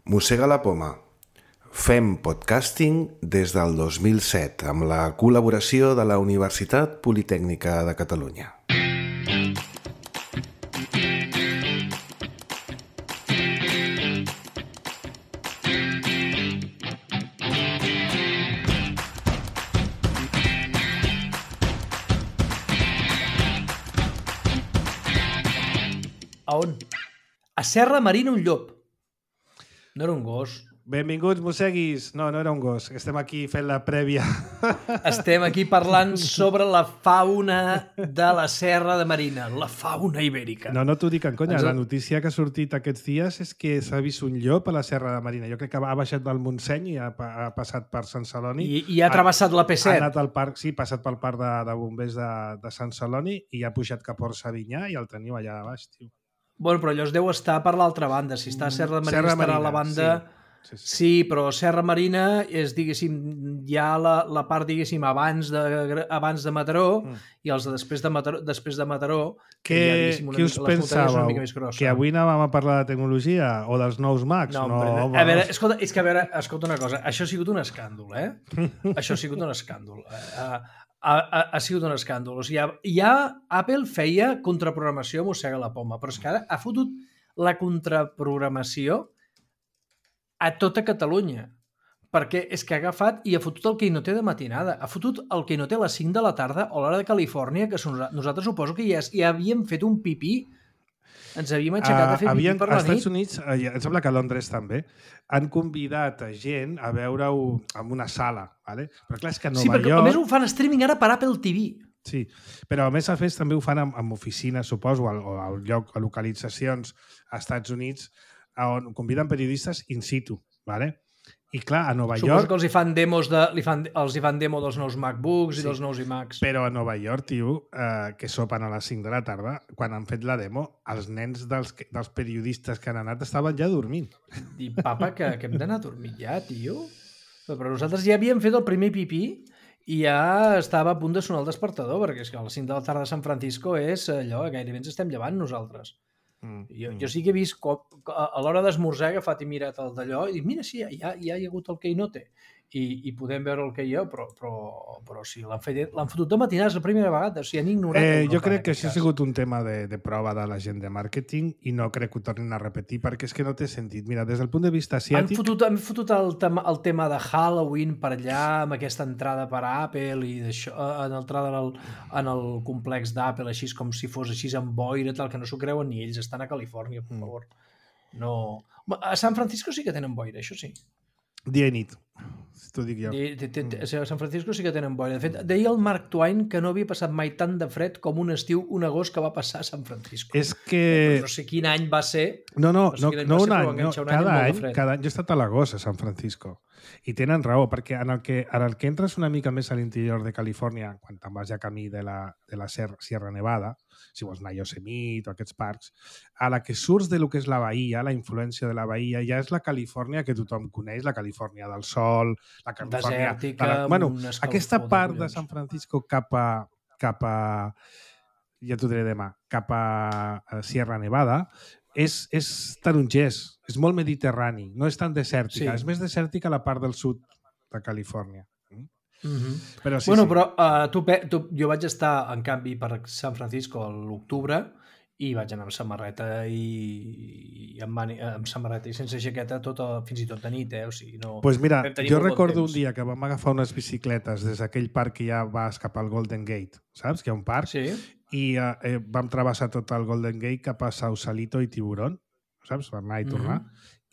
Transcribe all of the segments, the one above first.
Mossega la poma. Fem podcasting des del 2007 amb la col·laboració de la Universitat Politècnica de Catalunya. A on? A Serra Marina un llop. No era un gos. Benvinguts, mosseguis. No era un gos. Estem aquí fent la prèvia. Estem aquí parlant sobre la fauna de la Serra de Marina, la fauna ibèrica. No t'ho dic en conya. La notícia que ha sortit aquests dies és que s'ha vist un llop a la Serra de Marina. Jo crec que ha baixat del Montseny i ha passat per Sant Celoni. I ha travessat la P7. Ha anat al parc, sí, ha passat pel parc de bombers de Sant Celoni i ha pujat cap a Orsavinyà i el teniu allà a baix, tio. Bueno, però allò es deu estar per l'altra banda. Si està a Serra de Marina, estarà a la banda... Sí, però Serra Marina és, diguéssim, ja la part, diguéssim, abans de Mataró i els després de Mataró... Què us pensàveu? Que avui anàvem a parlar de tecnologia o dels nous Macs? No, a veure, escolta una cosa. Això ha sigut un escàndol, eh? Això ha sigut un escàndol. Ha sigut un escàndol. O sigui, Apple feia contraprogramació a Mossega la poma, però és que ara ha fotut la contraprogramació a tota Catalunya, perquè és que ha agafat i ha fotut el Keynote de matinada, ha fotut el Keynote a les 5 de la tarda o l'hora de Califòrnia, que nosaltres suposo que ja havíem fet un pipí, ens havíem aixecat a fer pipí per la nit. Als Estats Units, em sembla que a Londres també, han convidat a gent a veure-ho en una sala, ¿vale? Però clar, és que a Nova York... Sí, perquè a més ho fan streaming ara per Apple TV. Sí, però a més també ho fan amb oficines, suposo, o a localitzacions als Estats Units, on conviden periodistes in situ, ¿vale? I clar, a Nova York... Suposo que els hi fan demos demo dels nous MacBooks i dels nous iMacs. Però a Nova York, tio, que sopen a les 5 de la tarda, quan han fet la demo, els nens dels periodistes que han anat estaven ja dormint. I papa, que hem d'anar a dormir ja, tio? Però nosaltres ja havíem fet el primer pipí i ja estava a punt de sonar el despertador, perquè és que a les 5 de la tarda a San Francisco és allò, gairebé ens estem llevant nosaltres. Jo sí que he vist a l'hora d'esmorzar he agafat i mirat el d'allò i dic, mira, sí, ja hi ha hagut el Keynote i podem veure el que hi ha, però sí, l'han fotut de matinada, és la primera vegada, o sigui, han ignorat. Jo crec que això ha sigut un tema de prova de la gent de màrqueting i no crec que ho tornin a repetir perquè és que no té sentit. Mira, des del punt de vista asiàtic... Han fotut el tema de Halloween per allà, amb aquesta entrada per a Apple i d'això, entrada en el complex d'Apple, així com si fos així amb boira, tal, que no s'ho creuen ni ells, estan a Califòrnia, per favor. No. A San Francisco sí que tenen boira, això sí. Dia i nit, t'ho dic jo. A San Francisco sí que tenen boira. De fet, deia el Mark Twain que no havia passat mai tant de fred com un estiu, un agost que va passar a San Francisco. És que... No sé quin any va ser. No un any. Cada any jo he estat a l'agost a San Francisco. I tenen raó, perquè en el que entres una mica més a l'interior de Califòrnia, quan te'n vas ja camí de la Sierra Nevada, si vols anar a Yosemite o aquests parcs, a la que surts de lo que és la bahia, la influència de la bahia, ja és la Califòrnia que tothom coneix, la Califòrnia del sol, la Califòrnia... Desèrtica, aquesta part de San Francisco cap a ja t'ho diré demà, cap a Sierra Nevada, és tarongès, és molt mediterrani, no és tan desèrtica, és més desèrtica la part del sud de Califòrnia. Però jo vaig estar, en canvi, per San Francisco a l'octubre i vaig anar amb samarreta i amb samarreta i sense jaqueta fins i tot de nit, o sigui, no... Doncs mira, jo recordo un dia que vam agafar unes bicicletes des d'aquell parc que ja vas cap al Golden Gate, saps? Que hi ha un parc. Sí. I vam travessar tot el Golden Gate cap a Sausalito i Tiburón, saps? Per anar i tornar.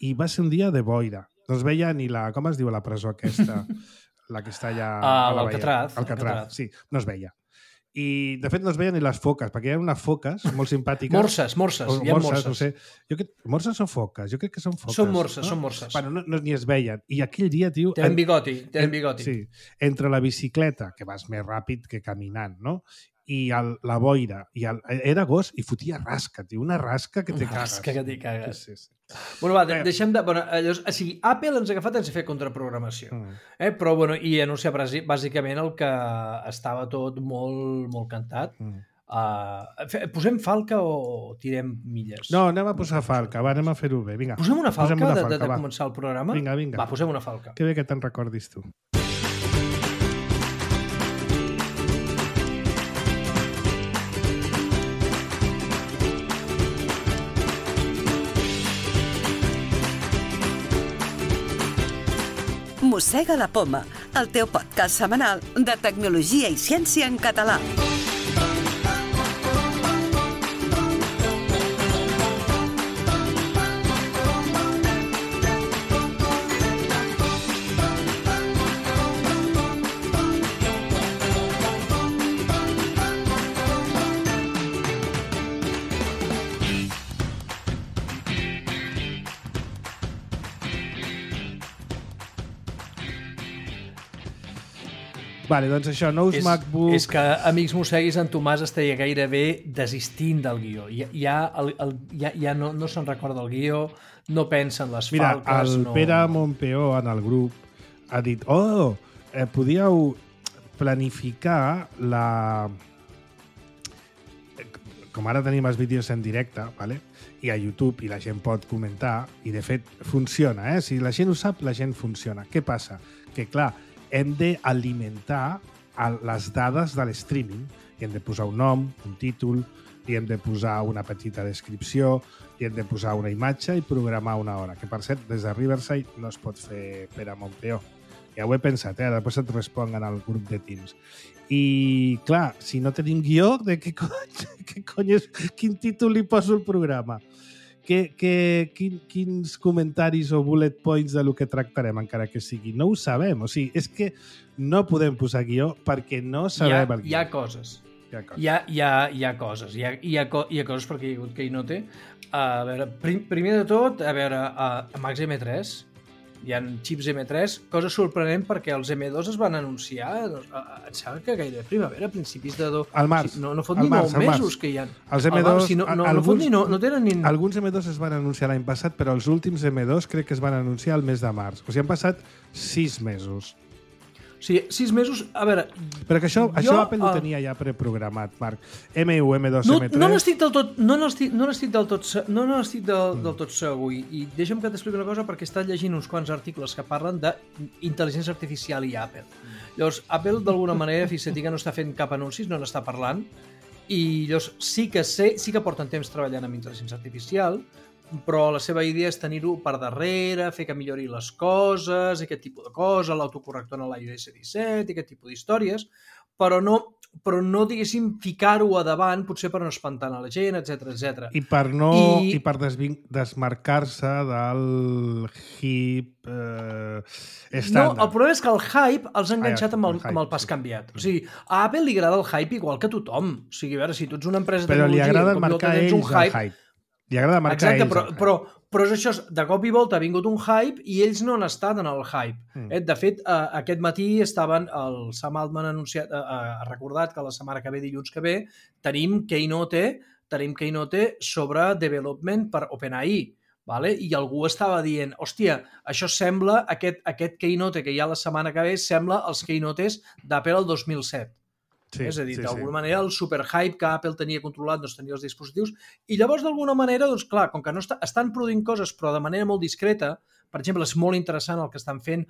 I va ser un dia de boira. No es veia ni la... Com es diu la presó aquesta? La que està allà a la bahia. Alcatraz, sí. No es veia. I, de fet, no es veien ni les foques, perquè hi ha unes foques molt simpàtiques. Morses. Hi ha morses. No sé. Morses o foques? Jo crec que són foques. Són morses. Bueno, no ni es veien. I aquell dia, tio... Tenen bigoti. Sí. Entre la bicicleta, que vas més ràpid que caminant, no? I la boira. Era agost i fotia rasca, tio. Una rasca que te cagues. Rasca que t'hi cagues. Sí. Bueno, va, deixem de... Llavors, o sigui, Apple ens ha agafat ens ha fet contraprogramació. Però, bueno, i anunciar bàsicament el que estava tot molt, molt cantat. Posem falca o tirem milles? No, anem a posar falca, anem a fer-ho bé. Vinga, posem una falca de començar el programa? Vinga. Va, posem una falca. Que bé que te'n recordis tu. Mossega la Poma, el teu podcast setmanal de tecnologia i ciència en català. Vale, doncs això, nous MacBook... És que, amics mosseguis, en Tomàs estaria gairebé desistint del guió. Ja no se'n recorda el guió, no pensa en les falques... Mira, el Pere Montpeó en el grup ha dit podíeu planificar la... Com ara tenim els vídeos en directe, ¿vale? I a YouTube, i la gent pot comentar, i de fet funciona, Si la gent ho sap, la gent funciona. Què passa? Que, clar, hem d'alimentar les dades de l'streaming i hem de posar un nom, un títol, i hem de posar una petita descripció, i hem de posar una imatge i programar una hora, que per cert, des de Riverside no es pot fer per a Montpeó. Ja ho he pensat, després et responguen al grup de Teams. I, clar, si no tenim guió, de què cony és, quin títol li poso al programa? Quins comentaris o bullet points de lo que tractarem, encara que sigui? No ho sabem. O sigui, és que no podem posar guió perquè no sabem el guió. Hi ha coses. Hi ha coses. Hi ha coses perquè hi ha hagut Keynote. A veure, primer de tot, a Macs M3 hi ha xips M3, cosa sorprenent perquè els M2 es van anunciar, em sembla que gairebé primavera, principis de... Al març. No fot ni 9 mesos que hi ha. Els M2... No tenen ni... Alguns M2 es van anunciar l'any passat, però els últims M2 crec que es van anunciar al mes de març. O sigui, han passat 6 mesos. O sigui, 6 mesos... A veure... Però que això Apple ho tenia ja preprogramat, Marc. M1, M2, M3... No n'estic del tot segur. I deixa'm que t'expliqui una cosa, perquè he estat llegint uns quants articles que parlen d'intel·ligència artificial i Apple. Llavors, Apple, d'alguna manera, fixa't que no està fent cap anuncis, no n'està parlant, i llavors sí que porten temps treballant amb intel·ligència artificial, però la seva idea és tenir-ho per darrere, fer que millori les coses, aquest tipus de coses, l'autocorrector en l'iOS 17, aquest tipus d'històries, però no diguéssim, ficar-ho a davant, potser per no espantar a la gent, etc. I per desmarcar-se del hype estàndard. No, el problema és que el hype els ha enganxat amb el pas canviat. O sigui, a Apple li agrada el hype igual que a tothom. O sigui, a veure, si tu ets una empresa de tecnologia... Però li agrada marcar marcar ells el hype. Li agrada marcar ells. Exacte, però és això, de cop i volta ha vingut un hype i ells no han estat en el hype. De fet, aquest matí estaven, el Sam Altman ha recordat que la setmana que ve, dilluns que ve, tenim Keynote sobre development per OpenAI. Vale? I algú estava dient, hòstia, això sembla, aquest Keynote que hi ha la setmana que ve, sembla els Keynotes d'Apple el 2007. Sí, és a dir, d'alguna manera el superhype que Apple tenia controlat doncs tenia els dispositius i llavors d'alguna manera, doncs clar, com que no estan produint coses però de manera molt discreta, per exemple, és molt interessant el que estan fent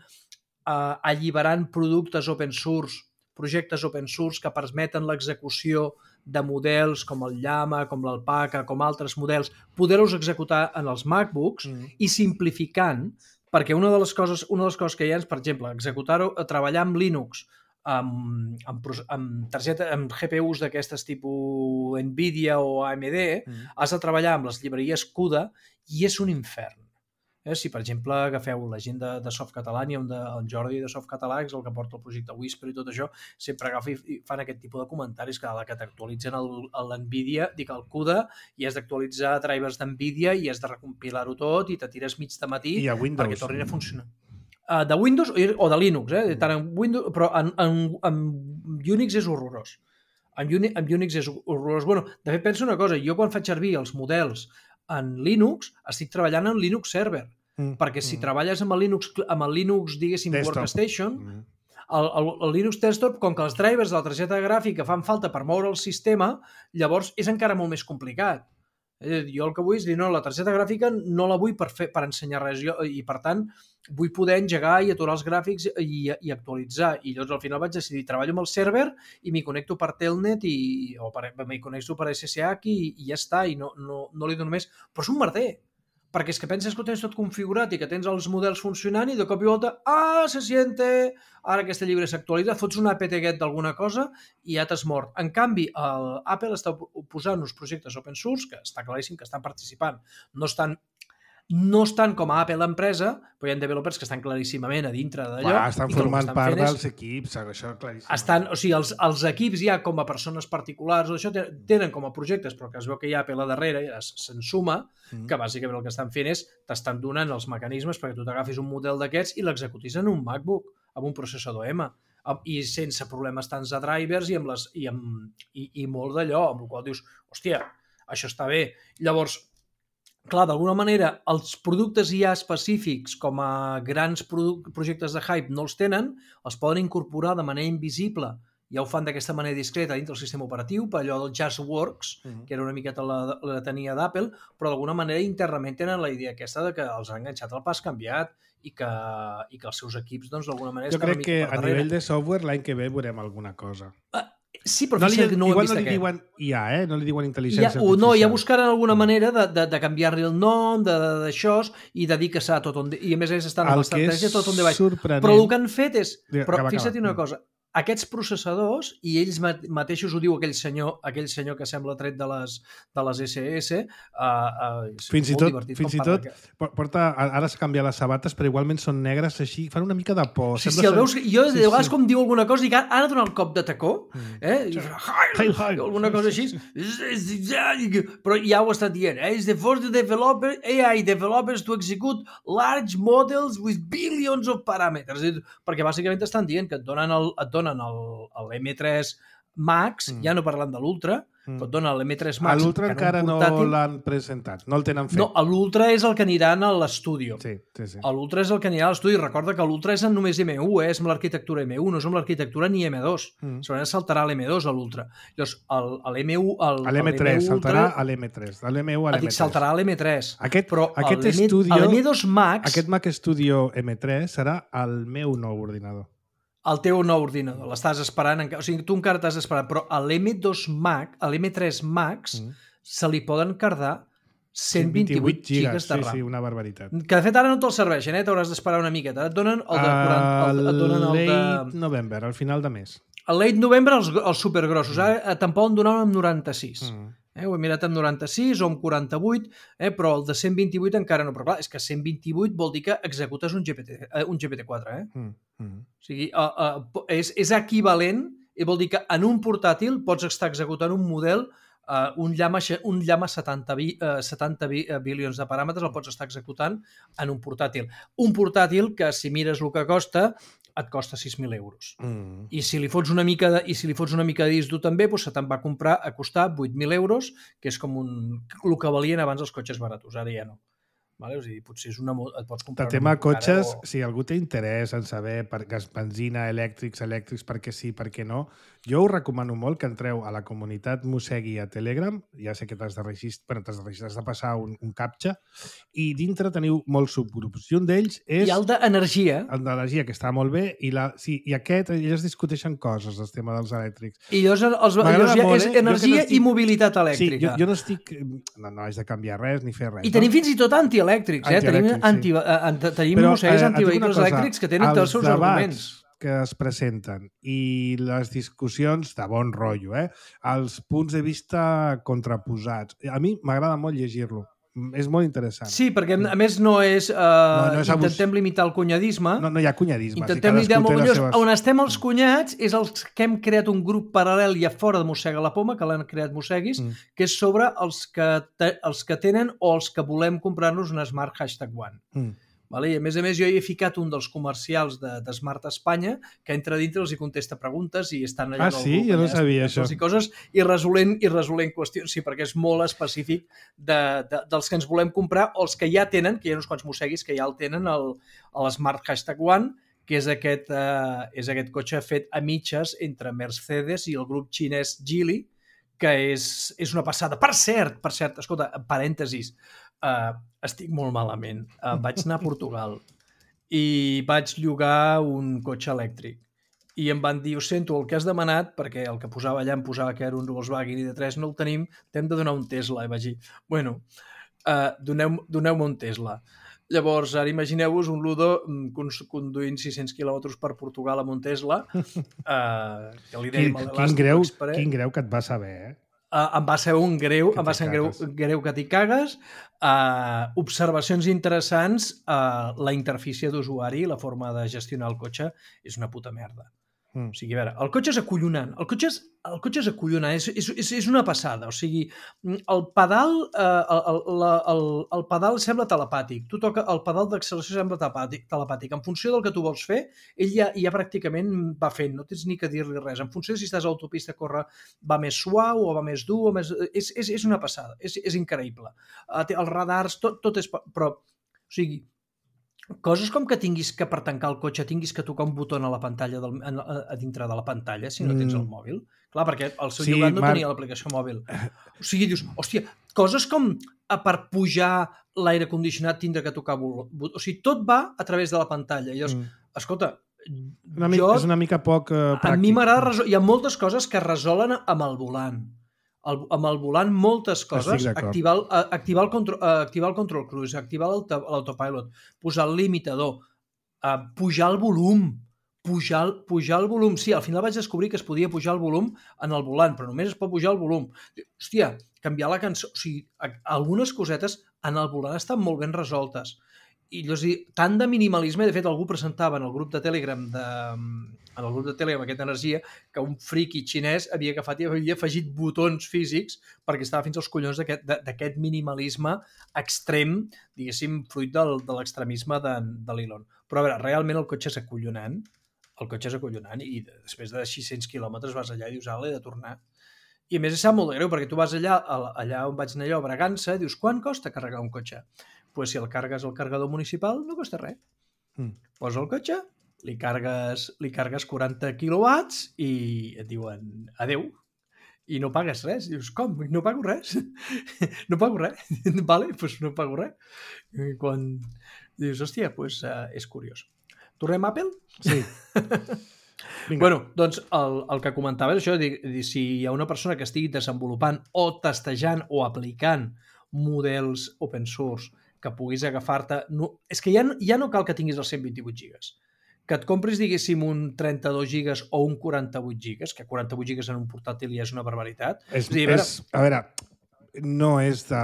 alliberant productes open source, projectes open source que permeten l'execució de models com el Llama, com l'Alpaca, com altres models, poder-los executar en els MacBooks i simplificant, perquè una de les coses que hi ha és, per exemple, executar-ho, treballar amb Linux, amb GPUs d'aquestes tipus Nvidia o AMD, has de treballar amb les llibreries CUDA i és un infern. Si, per exemple, agafeu la gent de Softcatalà, i el Jordi de Softcatalà, que és el que porta el projecte Whisper i tot això, sempre agafen i fan aquest tipus de comentaris que t'actualitzen l'Nvidia, dic el CUDA, i has d'actualitzar drivers d'Nvidia i has de recompilar-ho tot i te tires mig de matí perquè tornin a funcionar. De Windows o de Linux, tant en Windows, però en Unix és horrorós. En Unix és horrorós. Bueno, de fet, penso una cosa, jo quan faig servir els models en Linux, estic treballant en Linux Server, perquè si treballes amb el Linux, diguéssim, Desktop. Workstation, el Linux Desktop, com que els drivers de la targeta gràfica fan falta per moure el sistema, llavors és encara molt més complicat. Jo el que vull és dir, no, la targeta gràfica no la vull per ensenyar res, i per tant vull poder engegar i aturar els gràfics i actualitzar, i llavors al final vaig decidir, treballo amb el server i m'hi connecto per Telnet o m'hi connecto per SSH i ja està, i no li dono més, però és un merder, perquè és que penses que ho tens tot configurat i que tens els models funcionant i de cop i volta, se siente, ara aquest llibre s'actualitza, fots un apt-get d'alguna cosa i ja t'has mort. En canvi, Apple està posant uns projectes open source que està claríssim que estan participant. No estan com a Apple empresa, però hi ha developers que estan claríssimament a dintre d'allò. Estan formant part dels equips, això claríssim. O sigui, els equips ja com a persones particulars, això tenen com a projectes, però que es veu que hi ha Apple a darrere, ja se'n suma, que bàsicament el que estan fent és t'estan donant els mecanismes perquè tu t'agafis un model d'aquests i l'executis en un MacBook, amb un processador M, i sense problemes tants de drivers i molt d'allò, amb el qual dius, hòstia, això està bé. Llavors, clar, d'alguna manera, els productes ja específics com a grans projectes de hype no els tenen, els poden incorporar de manera invisible, ja ho fan d'aquesta manera discreta dintre del sistema operatiu, per allò del JustWorks, que era una miqueta la tenia d'Apple, però d'alguna manera internament tenen la idea aquesta de que els ha enganxat el pas canviat i que els seus equips, doncs, d'alguna manera estan una mica per darrere. Jo crec que a nivell de software l'any que ve veurem alguna cosa. Sí, però fixa't que no ho hem vist aquest. Igual no li diuen IA, no li diuen intel·ligència artificial. No, ja buscaran alguna manera de canviar-li el nom, d'això, i de dir que s'ha tot on... I a més estan amb l'estratègia tot on de baix. Però el que han fet és... Però fixa't una cosa, aquests processadors, i ells mateixos ho diu aquell senyor que sembla tret de les SS, fins i tot porta, ara s'ha canviat les sabates, però igualment són negres així, fan una mica de por. Sí, el veus, jo de vegades com diu alguna cosa i ara dona el cop de tacó, alguna cosa així, però ja ho ha estat dient, is the first AI developers to execute large models with billions of parameters, perquè bàsicament estan dient que et donen l'M3 Max, ja no parlant de l'Ultra, que et dona l'M3 Max. L'Ultra encara no l'han presentat, no el tenen fet. No, l'Ultra és el que aniran a l'estudi. Sí. L'Ultra és el que anirà a l'estudi. Recorda que l'Ultra és només M1, és amb l'arquitectura M1, no és amb l'arquitectura ni M2. Segurament saltarà l'M2 a l'Ultra. Llavors, l'M3 saltarà a l'M3. De l'M1 a l'M3. Saltarà a l'M3. L'M2 Max... Aquest Mac Studio M3 serà el meu nou ordinador. El teu nou ordinador, l'estàs esperant, o sigui, tu encara t'has esperat, però a l'M2 Max, a l'M3 Max, se li poden cardar 128 gigas de RAM. Sí, una barbaritat. Que de fet ara no te'l serveixen, t'hauràs d'esperar una miqueta. Et donen el de... Late November, al final de mes. El late November, els supergrossos. Ara te'n poden donar amb 96. Ho he mirat amb 96 o amb 48, però el de 128 encara no. Però clar, és que 128 vol dir que executes un GPT-4. O sigui, és equivalent, i vol dir que en un portàtil pots estar executant un model, un llama 70 bilions de paràmetres, el pots estar executant en un portàtil. Un portàtil que, si mires el que costa, et costa 6.000 euros. I si li fots una mica de disc dur també, doncs se te'n va comprar a costar 8.000 euros, que és com el que valien abans els cotxes baratos, ara ja no. Vale? O sigui, potser et pots comprar... El tema cotxes, si algú té interès en saber per gas, benzina, elèctrics, perquè sí, perquè no, jo us recomano molt que entreu a la comunitat Mossegui a Telegram, ja sé que t'has de registrar, has de passar un captcha, i dintre teniu molts subgrups, i un d'ells és... I el d'energia. El d'energia, que està molt bé, i aquest, ells discuteixen coses, el tema dels elèctrics. I és energia i mobilitat elèctrica. Sí, jo no estic... No haig de canviar res, ni fer res. I tenim fins i tot antielèctrics, tenim mossegues antivehicles elèctrics que tenen tots els seus arguments que es presenten i les discussions de bon rotllo, els punts de vista contraposats. A mi m'agrada molt llegir-lo. És molt interessant. Sí, perquè a més no és... intentem limitar el cunyadisme. No hi ha cunyadisme. Intentem limitar molt millor. On estem els cunyats és els que hem creat un grup paral·lel ja fora de Mossega la Poma, que l'han creat Mosseguis, que és sobre els que tenen o els que volem comprar-nos un Smart #1. Vale? I a més jo hi he ficat un dels comercials de Smart Espanya que entra dintre, els hi contesta preguntes i estan allà... Sí? Jo no sabia això. I coses, i resolent qüestions, sí, perquè és molt específic dels que ens volem comprar o els que ja tenen, que hi ha uns quants mosseguis que ja el tenen, el Smart #1, que és aquest cotxe fet a mitges entre Mercedes i el grup xinès Geely, que és una passada. Per cert, escolta, parèntesis, estic molt malament. Vaig anar a Portugal i vaig llogar un cotxe elèctric. I em van dir, ho sento, el que has demanat, perquè el que posava allà em posava que era un Volkswagen ID3, no el tenim, t'hem de donar un Tesla. I vaig dir, bueno, doneu-me un Tesla. Llavors, ara imagineu-vos un Ludo conduint 600 quilòmetres per Portugal amb un Tesla, que li dèiem a l'Elàstic Express. Quin greu que et va saber, eh? Em va ser un greu que t'hi cagues. Observacions interessants, la interfície d'usuari, la forma de gestionar el cotxe, és una puta merda. O sigui, a veure, el cotxe és acollonant. El cotxe és acollonant, és una passada. O sigui, el pedal sembla telepàtic. Tu toca el pedal d'acceleració sembla telepàtic. En funció del que tu vols fer, ell ja pràcticament va fent. No tens ni que dir-li res. En funció de si estàs a l'autopista, va més suau o va més dur. És una passada. És increïble. Els radars, tot és... Però, o sigui, coses com que tinguis que per tancar el cotxe tinguis que tocar un botó a la pantalla a dintre de la pantalla si no tens el mòbil. Clar, perquè el seu llogat no tenia l'aplicació mòbil. O sigui, dius, hòstia, coses com per pujar l'aire condicionat tindre que tocar botó. O sigui, tot va a través de la pantalla. I llavors, escolta, és una mica poc pràctic. A mi m'agrada... Hi ha moltes coses que es resolen amb el volant. Amb el volant moltes coses, activar el control cruise, activar l'autopilot, posar el limitador, pujar el volum, pujar el volum. Sí, al final vaig descobrir que es podia pujar el volum en el volant, però només es pot pujar el volum. Hòstia, canviar la cançó... O sigui, algunes cosetes en el volant estan molt ben resoltes. I tant de minimalisme, de fet algú presentava en el grup de Telegram aquesta energia, que un friqui xinès havia agafat i havia afegit botons físics perquè estava fins als collons d'aquest minimalisme extrem, diguéssim, fruit de l'extremisme de l'Elon. Però a veure, realment el cotxe és acollonant, i després de 600 quilòmetres vas allà i dius, he de tornar. I a més és molt greu, perquè tu vas allà on vaig anar allò, a Bragança, dius, quant costa carregar un cotxe? Pues si el cargues al carregador municipal no costa res. Posa el cotxe, li cargues 40 quilowatts i et diuen adeu. I no pagues res. Dius, com? No pago res? No pago res? Vale, doncs no pago res. Quan dius, hòstia, doncs és curiós. Tornem a Apple? Sí. Bueno, doncs el que comentava és això, si hi ha una persona que estigui desenvolupant o testejant o aplicant models open source que puguis agafar-te... És que ja no cal que tinguis els 128 gigas. Que et compris, diguéssim, un 32 gigas o un 48 gigas, que 48 gigas en un portàtil ja és una barbaritat. A veure, no és de...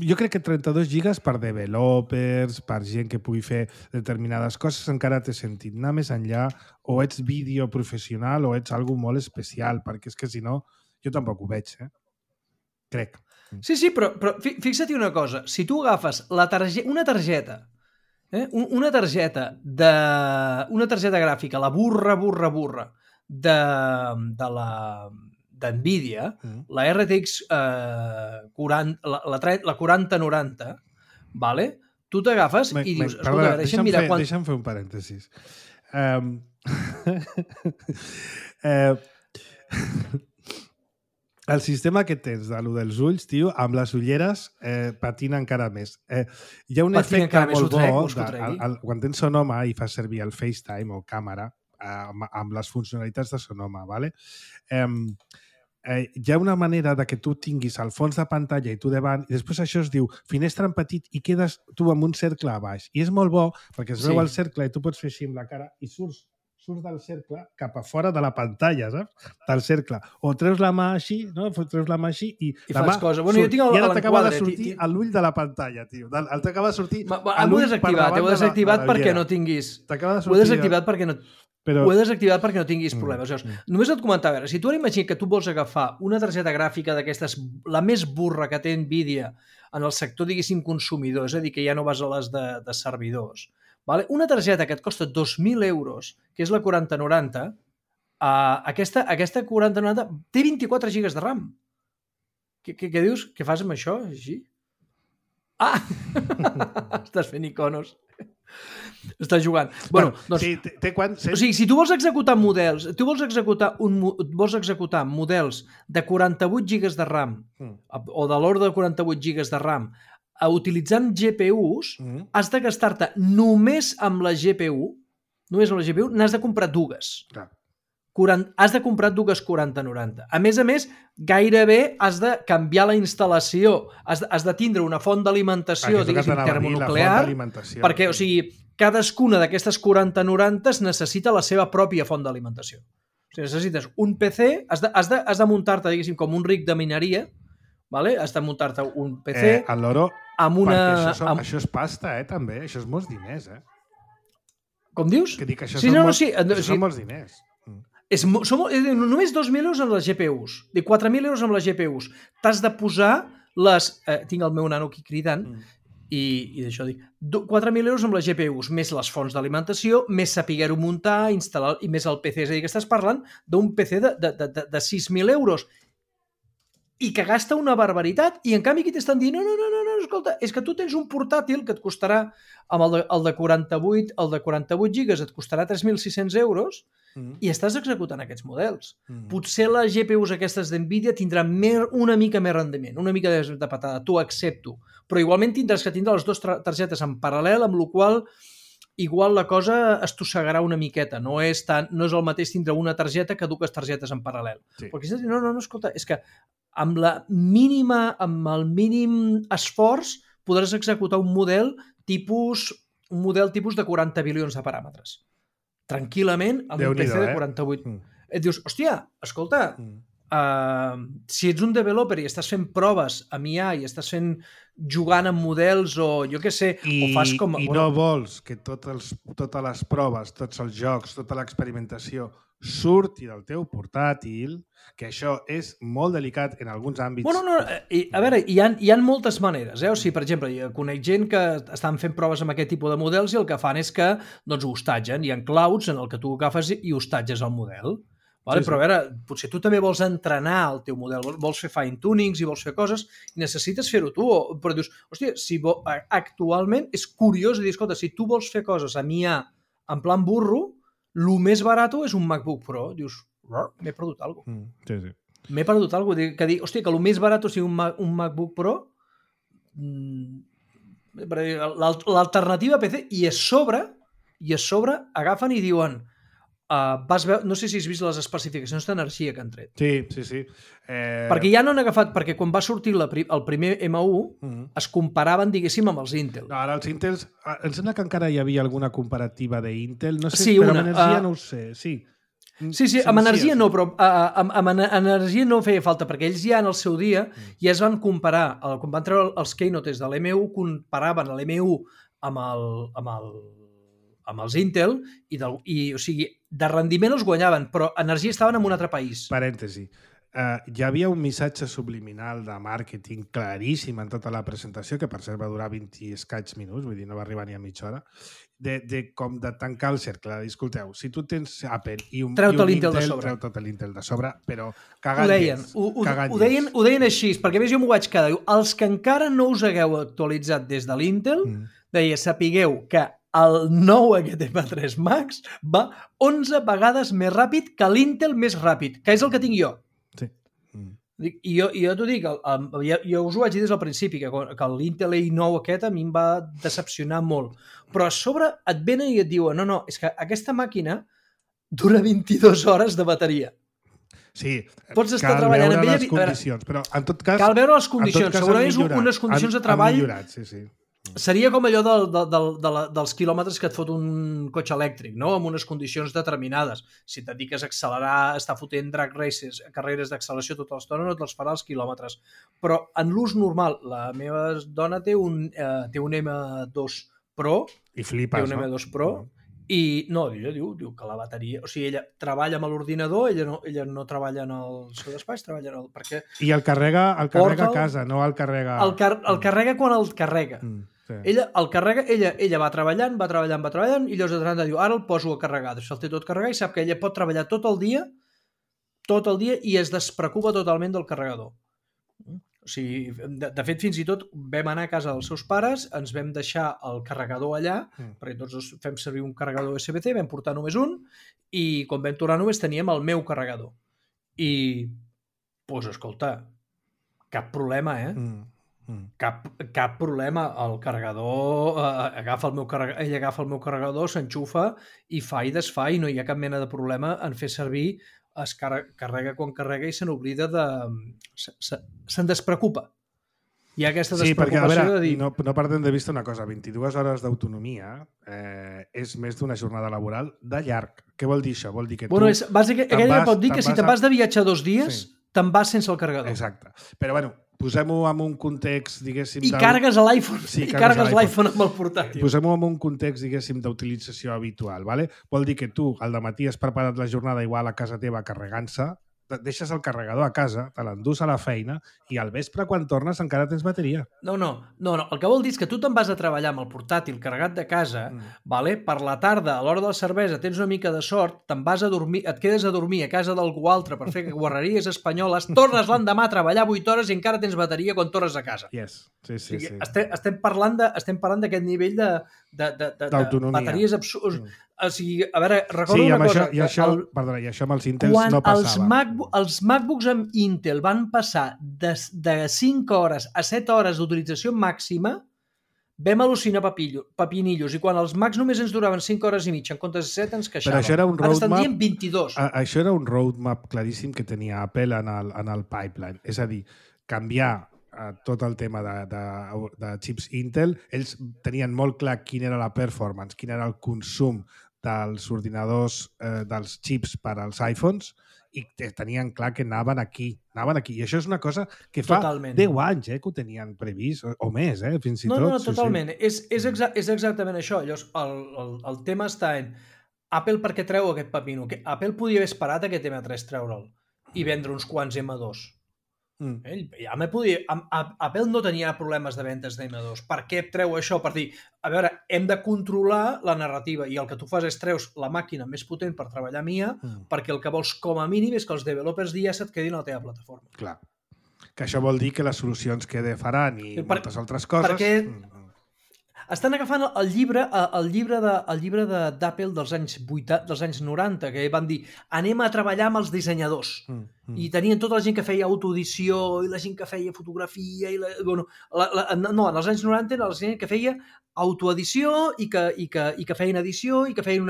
Jo crec que 32 gigas per developers, per gent que pugui fer determinades coses, encara té sentit. Anar més enllà, o ets vídeo professional o ets algú molt especial, perquè és que si no, jo tampoc ho veig, crec. Sí, però fixa't una cosa. Si tu agafes una targeta gràfica, la burra de NVIDIA, la RTX 4090, vale? Tu t'agafes i dius... Perdona, deixa'm fer un parèntesis. El sistema que tens de lo dels ulls, tio, amb les ulleres patina encara més. Hi ha un efecte molt bo quan tens Sonoma i fas servir el FaceTime o càmera amb les funcionalitats de Sonoma, ¿vale? Hi ha una manera de que tu tinguis al fons de pantalla i tu davant, i després això es diu finestra en petit i quedes tu amb un cercle a baix. I és molt bo perquè es veu el cercle i tu pots fer així amb la cara i surts del cercle cap a fora de la pantalla, saps? Del cercle. O treus la mà així, no? Treus la mà així i la mà surt. Bueno, jo tinc i ara t'acaba de sortir a l'ull de la pantalla, tio. T'acaba de sortir a l'ull per davant ho he desactivat perquè no tinguis... Ho he desactivat perquè no tinguis problemes. Només et comentava, si tu ara imagines que tu vols agafar una targeta gràfica d'aquestes, la més burra que té NVIDIA en el sector, diguéssim, consumidor, és a dir, que ja no vas a les de servidors, vale? Una targeta que et costa 2.000 euros, que és la 4090, aquesta 4090 té 24 gigas de RAM. Què dius? Què fas amb això? Així? Estàs fent iconos. Està jugant. Bueno, doncs, sí, té quan... O sigui, si tu vols executar models, vols executar models de 48 gigas de RAM o de l'ordre de 48 gigas de RAM utilitzant GPUs, has de gastar-te només amb la GPU, n'has de comprar dues. Clar. Has de comprar dues 4090. A més, gairebé has de canviar la instal·lació. Has de tindre una font d'alimentació, diguéssim, termonuclear, perquè, o sigui, cadascuna d'aquestes 4090 necessita la seva pròpia font d'alimentació. O sigui, necessites un PC, has de muntar-te, diguéssim, com un rig de mineria, vale? Has de muntar-te un PC... Al loro, amb una... perquè això és pasta, també. Això és molts diners, Com dius? Que dic que això són molts diners. Només 2.000 euros amb les GPUs, de 4.000 euros amb les GPUs. T'has de posar les... tinc el meu nano aquí cridant i d'això dic, 4.000 euros amb les GPUs, més les fonts d'alimentació, més saber-ho muntar, instal·lar, i més el PC. És a dir, que estàs parlant d'un PC de 6.000 euros i que gasta una barbaritat, i en canvi aquí t'estan dient no, escolta, és que tu tens un portàtil que et costarà, amb el de 48 gigas et costarà 3.600 euros i estàs executant aquests models. Potser les GPUs aquestes d'NVIDIA tindran una mica més rendiment, una mica de patada, t'ho accepto, però igualment tindràs que tindre les dues targetes en paral·lel, amb la qual igual la cosa estossegarà una miqueta, no és el mateix tindre una targeta que dues targetes en paral·lel. Sí. Perquè no, escolta, és que amb el mínim esforç podràs executar un model tipus de 40 bilions de paràmetres. Tranquil·lament, amb un PC de 48. Et dius, hòstia, escolta, si ets un developer i estàs fent proves amb IA i estàs jugant amb models o jo què sé, o fas com... I no vols que totes les proves, tots els jocs, tota l'experimentació surti del teu portàtil, que això és molt delicat en alguns àmbits. Bueno, no, a veure, hi ha moltes maneres. O sigui, per exemple, conec gent que estan fent proves amb aquest tipus de models i el que fan és que ho hostatgen. Hi ha clouds en el que tu agafes i hostatges el model. Vale? Sí. Però a veure, potser tu també vols entrenar el teu model, vols fer fine-tunings i vols fer coses i necessites fer-ho tu. Però dius, hòstia, actualment és curiós dir, escolta, si tu vols fer coses amb IA en plan burro, el més barat és un MacBook Pro. Dius, m'he perdut alguna cosa. Sí. M'he perdut alguna cosa. Que dir, hòstia, que el més barat sigui un MacBook Pro, l'alternativa PC, i a sobre agafen i diuen no sé si has vist les especificacions d'energia que han tret. Sí. Perquè ja no han agafat, perquè quan va sortir el primer M1 es comparaven, diguéssim, amb els Intel. No, ara els Intels, em sembla que encara hi havia alguna comparativa d'Intel, no sé, sí, però amb energia no ho sé, sí. Sí, amb energia no, però amb energia no feia falta, perquè ells ja en el seu dia ja es van comparar, quan van treure els keynotes de l'M1, comparaven l'M1 amb els Intel i o sigui, de rendiment els guanyaven, però energia estaven en un altre país. Parèntesi. Hi havia un missatge subliminal de màrqueting claríssim en tota la presentació, que per cert va durar 20 i escaig minuts, vull dir, no va arribar ni a mitja hora, com de tancar el cercle. Escolteu, si tu tens Apple i un Intel, treu tot l'Intel de sobre, però cagant llest. Ho deien així, perquè a més jo m'ho vaig quedar. Els que encara no us hagueu actualitzat des de l'Intel, deia, sapigueu que el nou aquest M3 Max va 11 vegades més ràpid que l'Intel més ràpid, que és el que tinc jo. Sí. I jo t'ho dic, jo us ho vaig dir des del principi, que l'Intel i9 aquest a mi em va decepcionar molt. Però a sobre et venen i et diuen, no, és que aquesta màquina dura 22 hores de bateria. Sí, pots estar treballant amb ella... les condicions, però en tot cas... Cal veure les condicions, segurament unes condicions de treball... Han millorat, sí. Seria com allò dels quilòmetres que et fot un cotxe elèctric, no? Amb unes condicions determinades. Si et dediques a accelerar, estar fotent drag races, carreres d'acceleració tota l'estona, no te'ls farà els quilòmetres. Però en l'ús normal, la meva dona té un M2 Pro, i flipes, té un M2 Pro, i no, ella diu que la bateria... O sigui, ella treballa amb l'ordinador, ella no treballa en el seu despatx, treballa en el... Perquè i el carrega a casa, no el carrega... El carrega quan el carrega. Sí. Ella el carrega, ella va treballant, i llavors de tant diu, ara el poso a carregar, el té tot carregat i sap que ella pot treballar tot el dia i es despreocupa totalment del carregador. O sigui, de fet, fins i tot vam anar a casa dels seus pares, ens vam deixar el carregador allà, perquè tots fem servir un carregador USB-C, vam portar només un, i quan vam tornar només teníem el meu carregador. I, doncs, escolta, cap problema, Cap problema. El carregador, ell agafa el meu carregador, s'enxufa i fa i desfà, i no hi ha cap mena de problema en fer servir. Es carrega quan carrega i se n'oblida de... se'n despreocupa. Hi ha aquesta despreocupació perquè, a veure, de dir... No perdem de vista una cosa, 22 hores d'autonomia és més d'una jornada laboral de llarg. Què vol dir això? Vol dir que tu... Aquella pot dir que si te'n vas de viatge 2 dies, te'n vas sense el carregador. Exacte. Però, bueno, posem-ho en un context, diguéssim... I carregues l'iPhone. I carregues l'iPhone amb el portàtil. Posem-ho en un context, diguéssim, d'utilització habitual. Vale? Vol dir que tu, al dematí, has preparat la jornada igual a casa teva carregant-se, deixes el carregador a casa, te l'endús a la feina i al vespre, quan tornes, encara tens bateria. No. El que vol dir és que tu te'n vas a treballar amb el portàtil carregat de casa, vale? Per la tarda, a l'hora de la cervesa, tens una mica de sort, te'n vas a dormir, et quedes a dormir a casa d'algú altre per fer guarreries espanyoles, tornes l'endemà a treballar 8 hores i encara tens bateria quan tornes a casa. Yes. Sí. Estem parlant d'aquest nivell d'autonomia. Bateries absurds. O sigui, a veure, recordo una cosa. I això amb els Intels no passava. Els MacBooks amb Intel van passar de 5 hores a 7 hores d'utilització màxima, vam al·lucinar papinillos, i quan els Macs només ens duraven 5 hores i mitja en comptes de 7 ens queixàvem. Però això era un roadmap... Ara estan dient 22. Això era un roadmap claríssim que tenia Apple en el pipeline. És a dir, canviar tot el tema de chips Intel. Ells tenien molt clar quin era la performance, quin era el consum dels ordinadors, dels chips per als iPhones, i tenien clar que anaven aquí. I això és una cosa que fa 10 anys que ho tenien previst, o més, fins i tot. No, totalment. Sí. És exactament això. Llavors, el tema està en Apple per què treu aquest pepino? Apple podia haver esperat aquest M3 treure'l i vendre uns quants M2. Apple no tenia problemes de ventes d'M2. Per què treu això? Per dir, a veure, hem de controlar la narrativa, i el que tu fas és treus la màquina més potent per treballar mia, perquè el que vols com a mínim és que els developers d'IA se't quedin a la teva plataforma. Clar. Que això vol dir que les solucions que faran i moltes altres coses... Perquè estan agafant el llibre d'Apple dels anys 90, que van dir anem a treballar amb els dissenyadors. I tenien tota la gent que feia autoedició i la gent que feia fotografia en els anys 90 era la gent que feia autoedició i que feien edició i que feien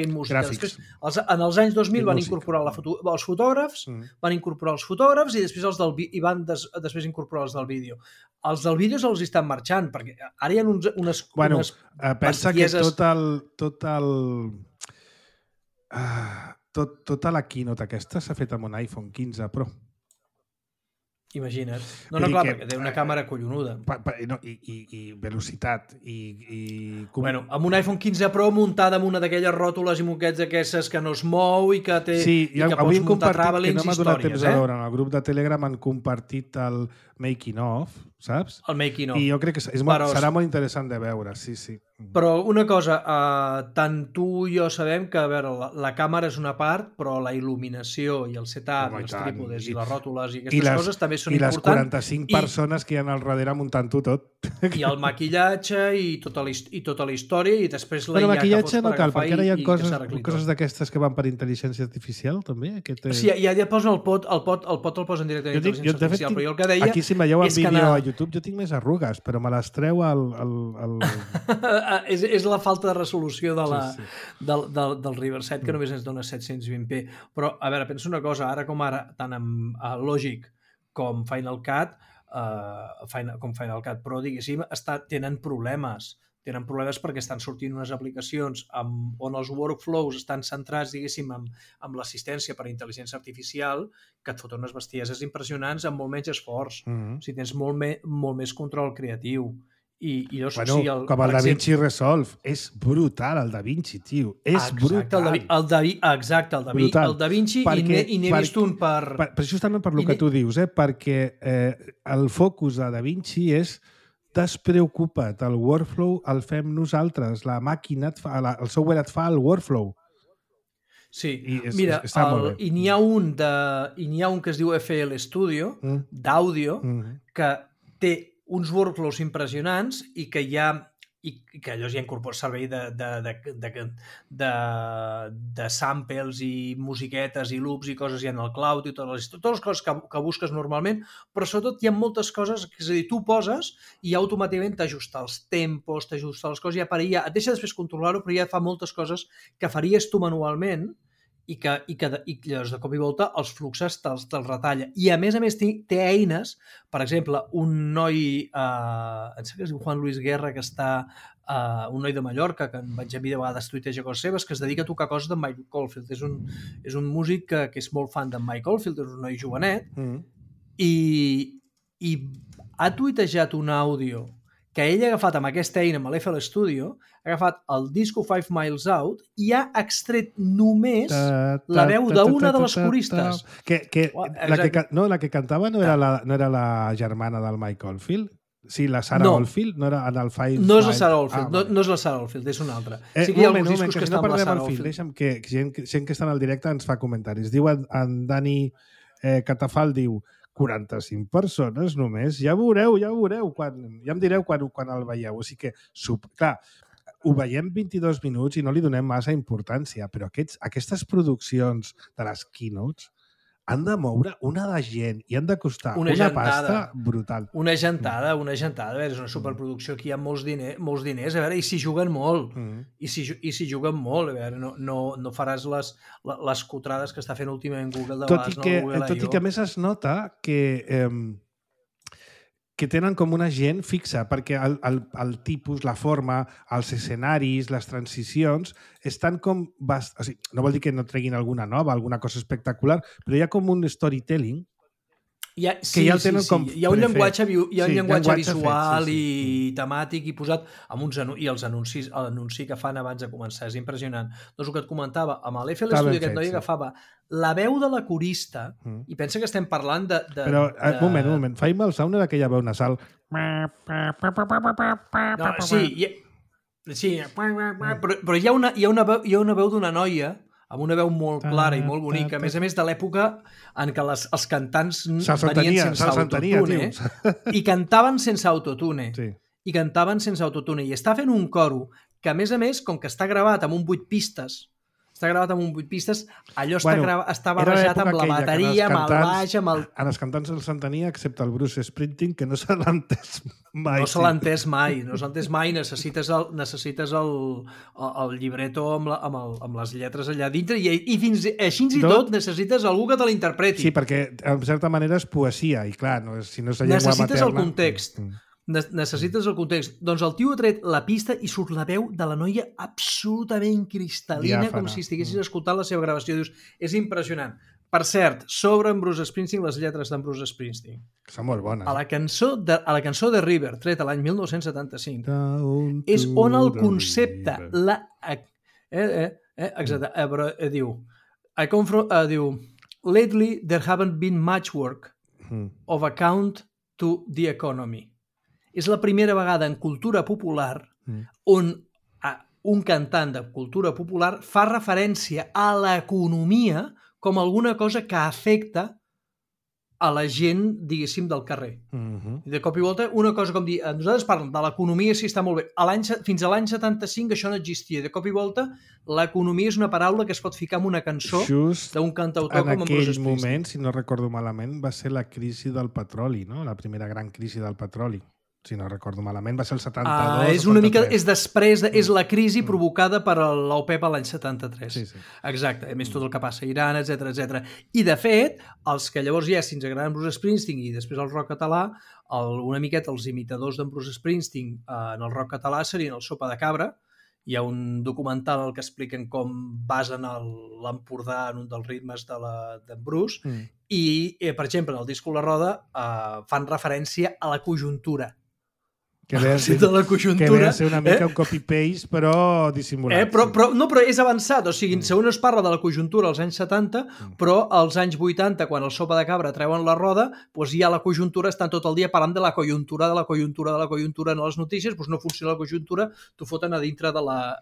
música. Després, en els anys 2000 van incorporar els fotògrafs, i després després incorporar els del vídeo. Els del vídeo els estan marxant, perquè ara hi ha unes pensa que tota la keynote aquesta s'ha fet amb un iPhone 15 Pro. Imagina't. Perquè té una càmera collonuda. I velocitat. Amb un iPhone 15 Pro muntada amb una d'aquelles ròtules i moquets d'aquestes que no es mou i que té... Sí, i que pots muntar que travelings no m'ha donat temps a veure. En el grup de Telegram han compartit el making of, saps? El making of. I jo crec que serà molt interessant de veure, sí. Però una cosa, tant tu i jo sabem que, a veure, la càmera és una part, però la il·luminació i el setup, els trípodes i les ròtules i aquestes coses també són importants. I les 45 persones que hi ha al darrere muntant-ho tot. I el maquillatge i tota la història, i després la IA que fots per agafar i maquillatge no cal, perquè ara hi ha coses d'aquestes que van per intel·ligència artificial, també. Sí, ja et posen el pot el posen directament a intel·ligència artificial, però jo el que deia... Aquí, si me veieu en vídeo a YouTube, jo tinc més arrugues, però me les treu és la falta de resolució del Riverside, que només ens dona 720p. Però, a veure, pensa una cosa, ara, tant amb Logic com Final Cut Pro, diguéssim, tenen problemes. Tenen problemes perquè estan sortint unes aplicacions on els workflows estan centrats, diguéssim, amb l'assistència per intel·ligència artificial, que et foten unes bestieses impressionants amb molt menys esforç. O sigui, tens molt més control creatiu. Com el DaVinci Resolve. És brutal, el DaVinci, tio. És brutal. Exacte, el DaVinci, i n'he vist un per... Justament per el que tu dius, perquè el focus de DaVinci és despreocupa't, el workflow el fem nosaltres, la màquina, el software et fa el workflow. Sí, I mira, està molt bé. I n'hi ha un que es diu FL Studio, d'àudio, que té uns workflows impressionants i que hi ha i que allò ja incorpora servei de samples i musiquetes i loops i coses ja en el cloud i totes les coses que busques normalment, però sobretot hi ha moltes coses, és a dir, tu poses i automàticament t'ajusta els tempos, t'ajusta les coses, ja et deixa després controlar-ho, però ja fa moltes coses que faries tu manualment i llavors de cop i volta els fluxes te'ls retalla. I a més té eines, per exemple, un noi, em sembla que es diu Juan Luis Guerra, que està, un noi de Mallorca, que en vaig a de vegades tuiteja coses seves, que es dedica a tocar coses de Mike Oldfield. És un músic que és molt fan de Mike Oldfield, és un noi jovenet, i ha tuitejat un àudio que ell ha agafat amb aquesta eina, amb l'FL Studio, ha agafat el disco 5 Miles Out i ha extret només la veu d'una de les coristes. La que cantava no era la germana del Mike Oldfield? Sí, la Sarah Oldfield? No era en el Five... No és la Sarah Oldfield, no és la Sarah Oldfield, és una altra. Sí que hi ha alguns discos que estan amb la Sarah Oldfield. Deixa'm que gent que està en el directe ens fa comentaris. Diu en Dani Catafal, diu 45 persones només, ja veureu, ja em direu quan el veieu. O sigui que, clar, ho veiem 22 minuts i no li donem massa importància, però aquestes produccions de les keynotes han de moure una de gent i han de costar una pasta brutal. Una gentada. A veure, és una superproducció, aquí hi ha molts diners, a veure, i s'hi juguen molt. I s'hi juguen molt, a veure, no faràs les cotrades que està fent últimament Google de vegades. Tot i que a més es nota que tenen com una gent fixa, perquè el tipus, la forma, els escenaris, les transicions, estan com... O sigui, no vol dir que no treguin alguna nova, alguna cosa espectacular, però hi ha com un storytelling que ja el tenen com... Hi ha un llenguatge visual i temàtic i posat amb uns i els l'anunci que fan abans de començar. És impressionant. Doncs el que et comentava, amb l'FL Studio aquest noi agafava la veu de la corista i pensa que estem parlant de... Però, un moment. Five Miles Out no era aquella veu nasal... Sí, però hi ha una veu d'una noia amb una veu molt clara i molt bonica, a més de l'època en què els cantants venien sense autotune i cantaven sense autotune. I està fent un coro que, a més, com que està gravat amb un 8 pistes, allò està barrejat amb la bateria, amb el baix, amb el... En els cantants se'ls entenia, excepte el Bruce Springsteen, que no se l'ha entès mai. No se l'ha entès mai. Necessites el llibretto amb les lletres allà dintre i fins així i tot necessites algú que te l'interpreti. Sí, perquè en certa manera és poesia i clar, si no és la llengua materna... Necessites el context. Necessites el context. Doncs el tio ha tret la pista i surt la veu de la noia absolutament cristal·lina, com si estiguessis escoltant la seva gravació. Dius, és impressionant. Per cert, sobre en Bruce Springsteen, les lletres d'en Bruce Springsteen. Són molt bones. A la cançó de River, treta l'any 1975, és on el concepte... Exacte, però diu... Diu, lately there haven't been much work of account to the economy. És la primera vegada en cultura popular on un cantant de cultura popular fa referència a l'economia com alguna cosa que afecta a la gent, diguéssim, del carrer. I de cop i volta, una cosa com dir, nosaltres parlem de l'economia, sí, està molt bé. Fins a l'any 75 això no existia. De cop i volta, l'economia és una paraula que es pot ficar en una cançó d'un cantautor com en Bruce Springsteen. En aquell moment, si no recordo malament, va ser la crisi del petroli, no? La primera gran crisi del petroli. Si no recordo malament, va ser el 72. És una mica, és després, és la crisi provocada per l'OPEP a l'any 73. Sí. Exacte, a més tot el que passa a Iran, etc. I de fet, els que llavors ja, si ens agraden Bruce Springsteen i després el rock català, una miqueta els imitadors d'en Bruce Springsteen en el rock català serien el Sopa de Cabra. Hi ha un documental en el que expliquen com basen l'Empordà en un dels ritmes d'en Bruce i, per exemple, en el disco La Roda fan referència a la conjuntura. Que ve a ser una mica un copy-paste, però dissimulat. Però és avançat. O sigui, segons es parla de la conjuntura als anys 70, però als anys 80, quan el Sopa de Cabra treuen la roda, doncs ja la conjuntura estan tot el dia parlant de la conjuntura en les notícies, doncs no funciona la conjuntura, t'ho foten a dintre de la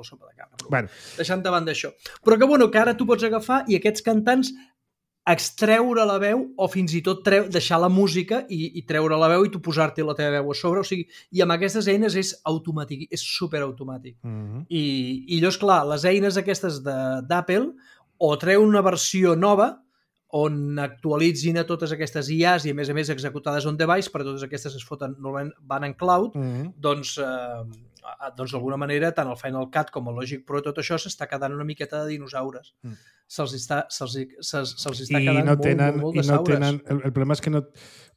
Sopa de Cabra. Bueno. Deixant davant d'això. Però que ara tu pots agafar i aquests cantants extreure la veu o fins i tot deixar la música i treure la veu i tu posar-te la teva veu a sobre. O sigui, i amb aquestes eines és automàtic, és superautomàtic. I llavors, clar, les eines aquestes d'Apple o treuen una versió nova on actualitzin a totes aquestes IAs i a més executades on device, però totes aquestes es foten, normalment van en cloud, doncs d'alguna manera tant el Final Cut com el Logic Pro, tot això s'està quedant una miqueta de dinosaures. Se'ls està quedant molt de saures. El problema és que no,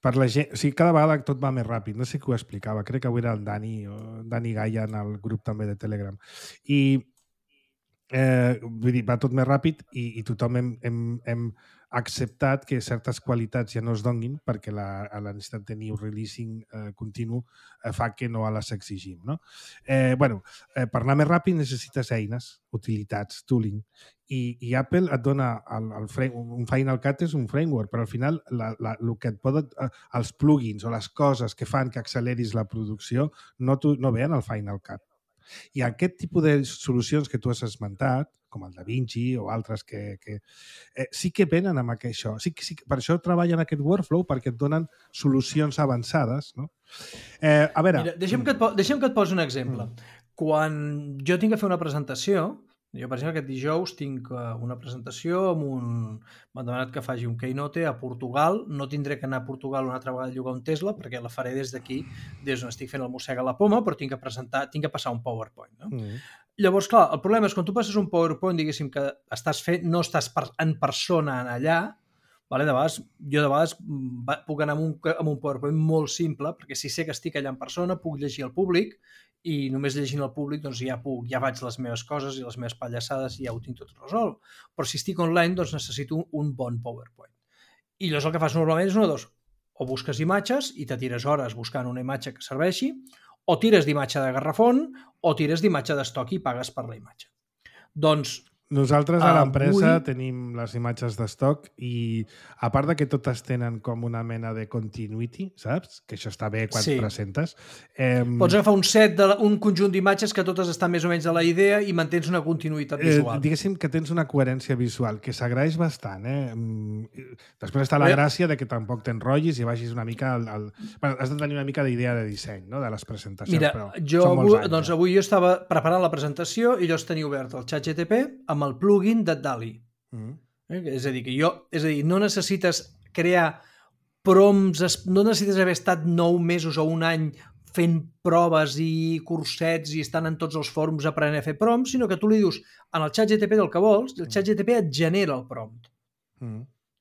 per la gent, o sigui, cada vegada tot va més ràpid. No sé qui ho explicava, crec que avui era el Dani Gaia en el grup també de Telegram. I vull dir, va tot més ràpid i tothom hem acceptat que certes qualitats ja no es donguin perquè la necessitat de new releasing continu fa que no les exigim. No? Per anar més ràpid necessites eines, utilitats, tooling, i Apple et dona un Final Cut és un framework, però al final el que et poden, els plugins o les coses que fan que acceleris la producció no veien el Final Cut. I aquest tipus de solucions que tu has esmentat, com el DaVinci o altres que sí que venen amb això. Sí, per això treballen aquest workflow, perquè et donen solucions avançades. No? A veure... Mira, deixem que et posi un exemple. Quan jo tinc que fer una presentació, jo, per exemple, aquest dijous tinc una presentació m'han demanat que faci un keynote a Portugal. No tindré que anar a Portugal una altra vegada a llogar un Tesla, perquè la faré des d'aquí, des on estic fent el mossega a la poma, però tinc que passar un PowerPoint. No? Llavors, clar, el problema és quan tu passes un PowerPoint, diguéssim, que no estàs en persona allà, vale? Jo de vegades puc anar amb un PowerPoint molt simple, perquè si sé que estic allà en persona, puc llegir al públic, i només llegint al públic doncs ja faig les meves coses i les meves pallassades i ja ho tinc tot resolt. Però si estic online doncs necessito un bon PowerPoint. I llavors el que fas normalment és una de dos. O busques imatges i te tires hores buscant una imatge que serveixi, o tires d'imatge de garrafón, o tires d'imatge d'estoc i pagues per la imatge. Doncs nosaltres a l'empresa tenim les imatges d'estoc i a part de que totes tenen com una mena de continuity, saps? Que això està bé quan presentes. Pots agafar un conjunt d'imatges que totes estan més o menys a la idea i mantens una continuïtat visual. Diguéssim que tens una coherència visual, que s'agraeix bastant. Després està la gràcia de que tampoc t'enrotllis i vagis una mica has de tenir una mica d'idea de disseny, no? De les presentacions. Mira, avui jo estava preparant la presentació i jo tenia obert el ChatGPT amb el plugin de DALL-E. És a dir, no necessites crear prompts, no necessites haver estat 9 mesos o un any fent proves i cursets i estan en tots els fòrums aprenent a fer prompts, sinó que tu li dius en el ChatGPT del que vols, el ChatGPT et genera el prompt.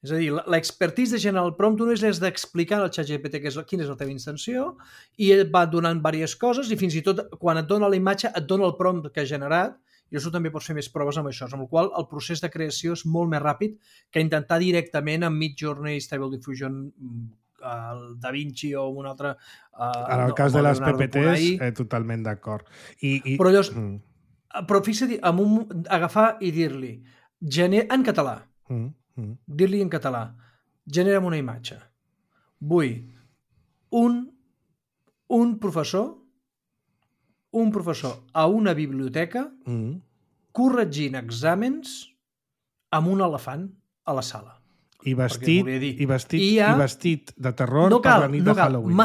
És a dir, l'expertise de generar el prompt només és d'explicar al ChatGPT quina és la teva intenció i ell va donant diverses coses i fins i tot quan et dona la imatge et dona el prompt que ha generat. I això també pots fer més proves amb això, amb el qual el procés de creació és molt més ràpid que intentar directament amb Midjourney, Stable Diffusion, el DaVinci o un altre... En el cas de les PPTs, totalment d'acord. Però llavors, però fixa't, agafar i dir-li en català, dir-li en català, genera'm una imatge. Vull un professor a una biblioteca corregint exàmens amb un elefant a la sala. I vestit de terror per la nit de Halloween.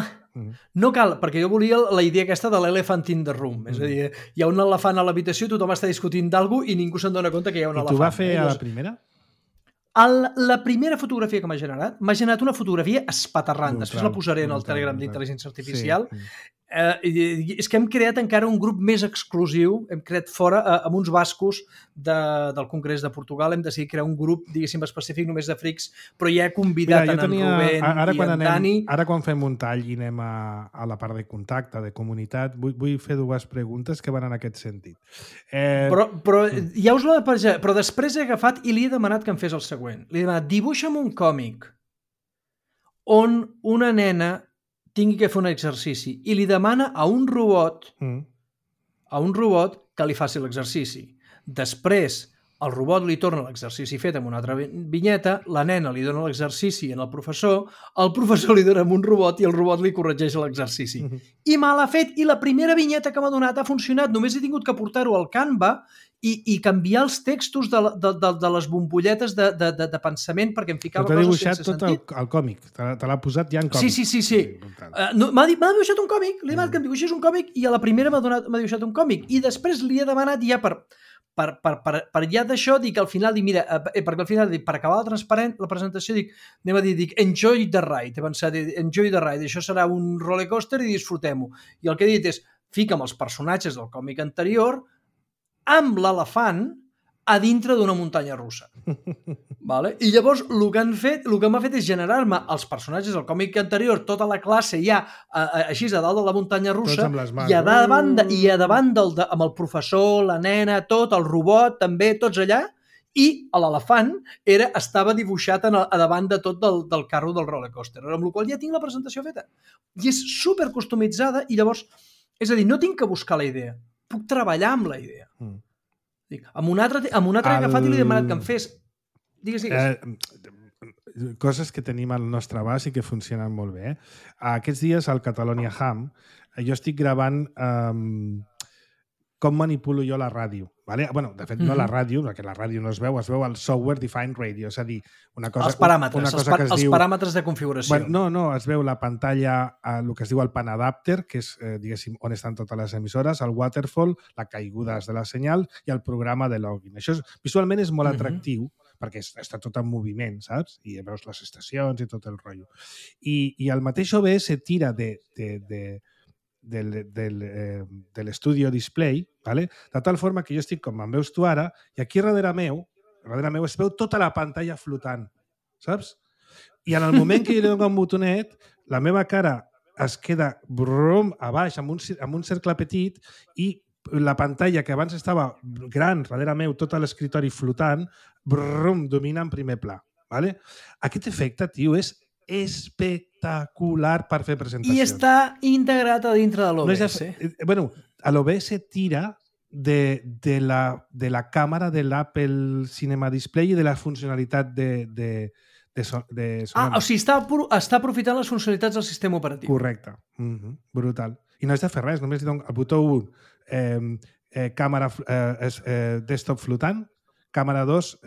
No cal, perquè jo volia la idea aquesta de l'elephant in the room. És a dir, hi ha un elefant a l'habitació, tothom està discutint d'algú i ningú se'n dona compte que hi ha un elefant. I tu va fer a la primera? La primera fotografia que m'ha generat una fotografia espaterrant. Després la posaré en el Telegram d'intel·ligència artificial. És que hem creat encara un grup més exclusiu, hem creat fora amb uns bascos del Congrés de Portugal, hem decidit crear un grup, diguéssim, específic només de frics, però ja he convidat en Rubén i en Dani. Ara quan fem un tall i anem a la part de contacte, de comunitat, vull fer dues preguntes que van en aquest sentit. Però ja us l'he de penjar, però després he agafat i li he demanat que em fes el següent. Li he demanat, dibuixa'm un còmic on una nena tingui que fer un exercici i li demana a un robot que li faci l'exercici. Després, el robot li torna l'exercici fet amb una altra vinyeta, la nena li dona l'exercici al professor li dona amb un robot i el robot li corregeix l'exercici. I me l'ha fet, i la primera vinyeta que m'ha donat ha funcionat, només he tingut que portar-ho al Canva i canviar els textos de les bombolletes de pensament perquè em ficava coses sense sentit. T'ha dibuixat tot el còmic, te l'ha posat ja en còmic. Sí. M'ha dibuixat un còmic, li he demanat que em dibuixés un còmic i a la primera m'ha dibuixat un còmic i després li he demanat ja per ja d'això, dic al final, mira, perquè al final, per acabar la presentació, dic enjoy the ride, he pensat, enjoy the ride, això serà un rollercoaster i disfrutem-ho. I el que he dit és, fica'm els personatges del còmic anterior amb l'elefant a dintre d'una muntanya russa. Vale? I llavors el que m'ha fet és generar-me els personatges del còmic anterior, tota la classe ja així a dalt de la muntanya russa i a davant amb el professor, la nena, tot, el robot també, tots allà, i l'elefant estava dibuixat a davant de tot del carro del rollercoaster, amb la qual cosa ja tinc la presentació feta. I és super customitzada i llavors, és a dir, no tinc que buscar la idea, puc treballar amb la idea. Amb un altre he agafat i li he demanat que em fes... Digues. Coses que tenim al nostre abast i que funcionen molt bé. Aquests dies al Catalonia Ham jo estic gravant com manipulo jo la ràdio. Vale? Bueno, de fet, no la ràdio, perquè la ràdio no es veu el software defined radio, és a dir, una cosa... Els paràmetres, els paràmetres de configuració. Bueno, no, es veu la pantalla, el que es diu el pan adapter, que és, diguéssim, on estan totes les emissores, el waterfall, la caigudes de la senyal i el programa de login. Això visualment és molt atractiu, perquè està tot en moviment, saps? I veus les estacions i tot el rotllo. I el mateix OBS tira de l'Studio Display, ¿vale? De tal forma que jo estic com em veus tu ara, i aquí darrere meu es veu tota la pantalla flotant, saps? I en el moment que jo li dono un botonet, la meva cara es queda a baix amb un cercle petit i la pantalla que abans estava gran darrere meu, tot l'escriptori flotant, domina en primer pla. ¿Vale? Aquest efecte, tio, és espectacular per fer presentacions. I està integrat a dintre de l'OBS. Bueno, l'OBS tira de la càmera de l'Apple Cinema Display i de la funcionalitat de o sigui, està aprofitant les funcionalitats del sistema operatiu. Correcte. Brutal. I no has de fer res, només li dono el botó 1, càmera desktop flotant, càmera 2,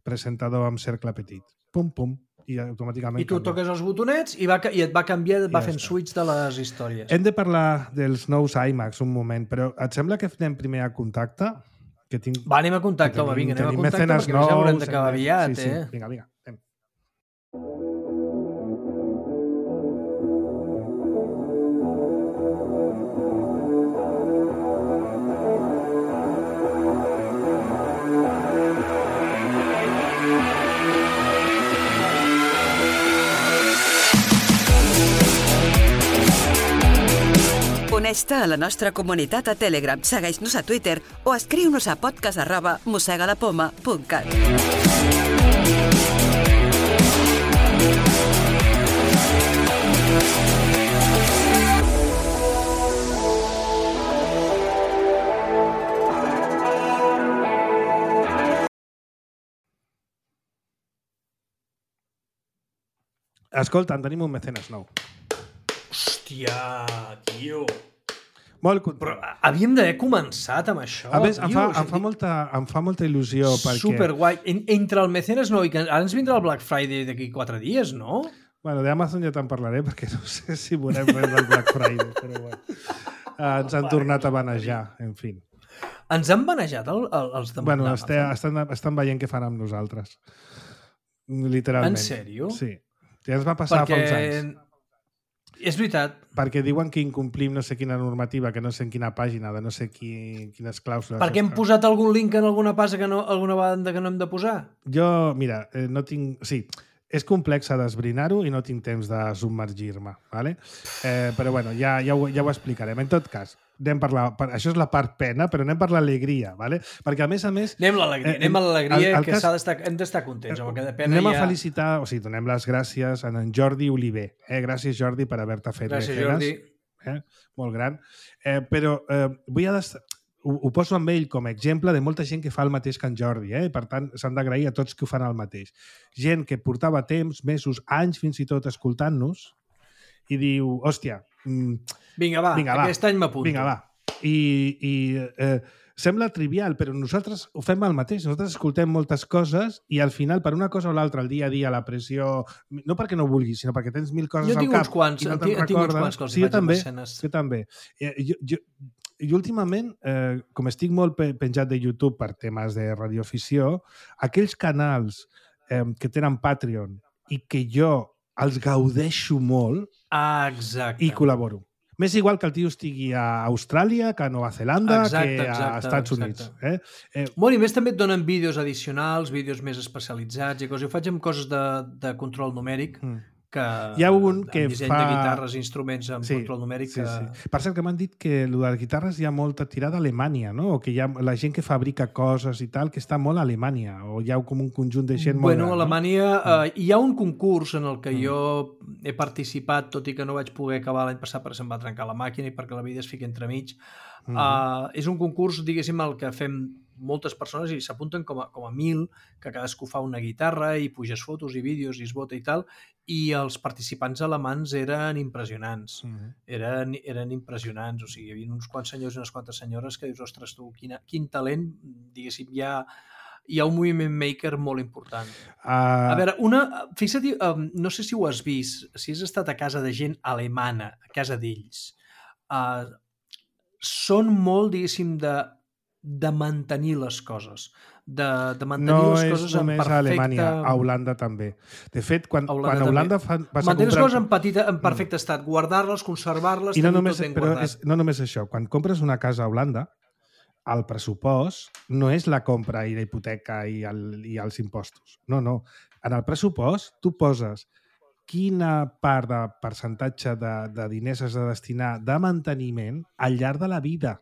presentador amb cercle petit. Pum, pum. I automàticament I tu toques els botonets i et va canviar, va fent switch de les històries. Hem de parlar dels nous iMacs un moment, però et sembla que anem primer a contacte? Va, anem a contacte, home, vinga, anem a contacte perquè ja haurem d'acabar aviat, eh? Vinga, anem. Uneix-te a la nostra comunitat a Telegram, segueix-nos a Twitter o escriu-nos a podcast@mosegalapoma.cat. Escolta, en tenim un mecenes nou. Hòstia, tio. Molt content. Però havíem d'haver començat amb això. A més, em fa molta il·lusió perquè... Superguai. Entre el mecenes nou i que ara ens vindrà el Black Friday d'aquí 4 dies, no? Bueno, d'Amazon ja te'n parlaré perquè no sé si veurem res del Black Friday, però bueno. Ens han tornat a banejar, en fi. Ens han banejat els de Bueno, estan veient què fan amb nosaltres. Literalment. En sèrio? Sí. Ja ens va passar fa uns anys. És veritat. Perquè diuen que incomplim no sé quina normativa, que no sé en quina pàgina, de no sé quines clàusules. Perquè hem posat algun link en alguna alguna banda que no hem de posar? Jo, mira, no tinc... Sí, és complex d'esbrinar-ho i no tinc temps de submergir-me, ¿vale? Però bueno, ja ho explicarem. En tot cas, això és la part pena, però anem per l'alegria, ¿vale? Perquè a més... Anem a l'alegria, que hem d'estar contents. Amb aquesta pena anem a felicitar, o sigui, donem les gràcies a en Jordi Oliver. Gràcies, Jordi, per haver-te fet gràcies, Jordi. Molt gran. Però vull ho poso amb ell com a exemple de molta gent que fa el mateix que en Jordi, per tant, s'han d'agrair a tots que ho fan el mateix. Gent que portava temps, mesos, anys, fins i tot, escoltant-nos, i diu, hòstia... Vinga, va, aquest any m'apunto. Vinga, va. I sembla trivial, però nosaltres ho fem el mateix. Nosaltres escoltem moltes coses i al final, per una cosa o l'altra, el dia a dia, la pressió... No perquè no vulguis, sinó perquè tens mil coses al cap. Jo tinc uns quants que els faig amb escenes. Jo també. I últimament, com estic molt penjat de YouTube per temes de radioafició, aquells canals que tenen Patreon i que jo els gaudeixo molt i col·laboro. M'és igual que el tio estigui a Austràlia, que a Nova Zelanda, que a Estats Units. Molt, i més també et donen vídeos addicionals, vídeos més especialitzats i coses. Jo faig amb coses de control numèric, que hi ha un que disseny de guitarres i instruments amb control numèric. Sí. Per cert, que m'han dit que el de les guitarres hi ha molta tirada a Alemanya, no? O que hi ha la gent que fabrica coses i tal, que està molt a Alemanya, o hi ha com un conjunt de gent molt gran. A Alemanya hi ha un concurs en el que jo he participat, tot i que no vaig poder acabar l'any passat perquè se'm va trencar la màquina i perquè la vida es fica entremig. És un concurs, diguéssim, el que fem moltes persones i s'apunten com a 1.000, que cadascú fa una guitarra i puges fotos i vídeos i es vota i tal, i els participants alemans eren impressionants. Eren impressionants, o sigui, hi havia uns quants senyors i unes quantes senyores que dius, ostres, tu, quin talent, diguéssim, hi ha un moviment maker molt important. A veure, fixa't, no sé si ho has vist, si has estat a casa de gent alemana, a casa d'ells, són molt, diguéssim, de mantenir les coses, de mantenir les coses en perfecte... No és només a Alemanya, a Holanda també. De fet, quan Holanda vas a comprar... Mantenir les coses en perfecte estat, guardar-les, conservar-les, tenir tot ben guardat. No només això, quan compres una casa a Holanda, el pressupost no és la compra i la hipoteca i els impostos. No. En el pressupost tu poses quina part de percentatge de diners has de destinar de manteniment al llarg de la vida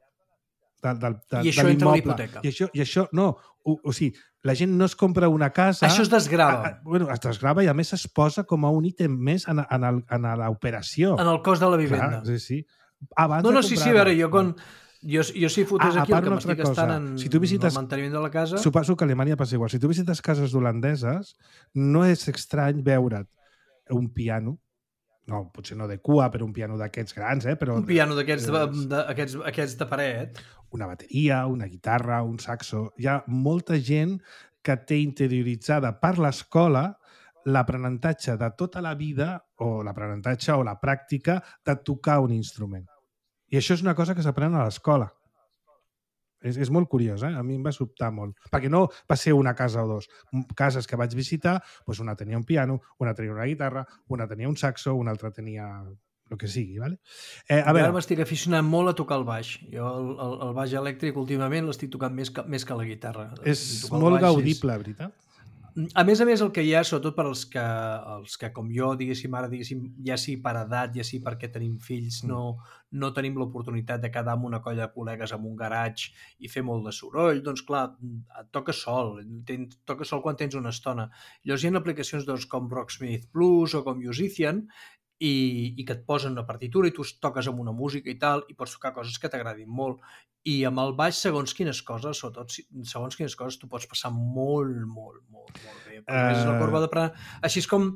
de I això entra a l'hipoteca. I això no. O sigui, la gent no es compra una casa... Això es desgrava. Es desgrava i a més es posa com a un ítem més en l'operació. En el cost de la vivenda. Sí. Sí, a veure, jo si fotés aquí el que m'estic gastant en el manteniment de la casa... Suposo que a Alemanya passa igual. Si tu visites cases holandeses, no és estrany veure't un piano, no, potser no de cua, però un piano d'aquests grans, però... Un piano d'aquests de paret. Una bateria, una guitarra, un saxo... Hi ha molta gent que té interioritzada per l'escola l'aprenentatge de tota la vida, o l'aprenentatge o la pràctica de tocar un instrument. I això és una cosa que s'aprèn a l'escola. És molt curiós, A mi em va sobtar molt. Perquè no va ser una casa o dos. Cases que vaig visitar, doncs una tenia un piano, una tenia una guitarra, una tenia un saxo, una altra tenia el que sigui, ¿vale? Ara m'estic aficionant molt a tocar el baix. Jo el baix elèctric últimament l'estic tocant més que la guitarra. És molt gaudible, veritat? A més, el que hi ha, sobretot per als que com jo, diguéssim, ja sí per edat, ja sí perquè tenim fills, no tenim l'oportunitat de quedar amb una colla de col·legues en un garatge i fer molt de soroll, doncs clar, et toques sol quan tens una estona. Llavors hi ha aplicacions com Rocksmith Plus o com Musician i que et posen una partitura i tu toques amb una música i tal, i pots tocar coses que t'agradin molt. I amb el baix, segons quines coses, tu pots passar molt bé. És la corba d'aprenentatge. Així és com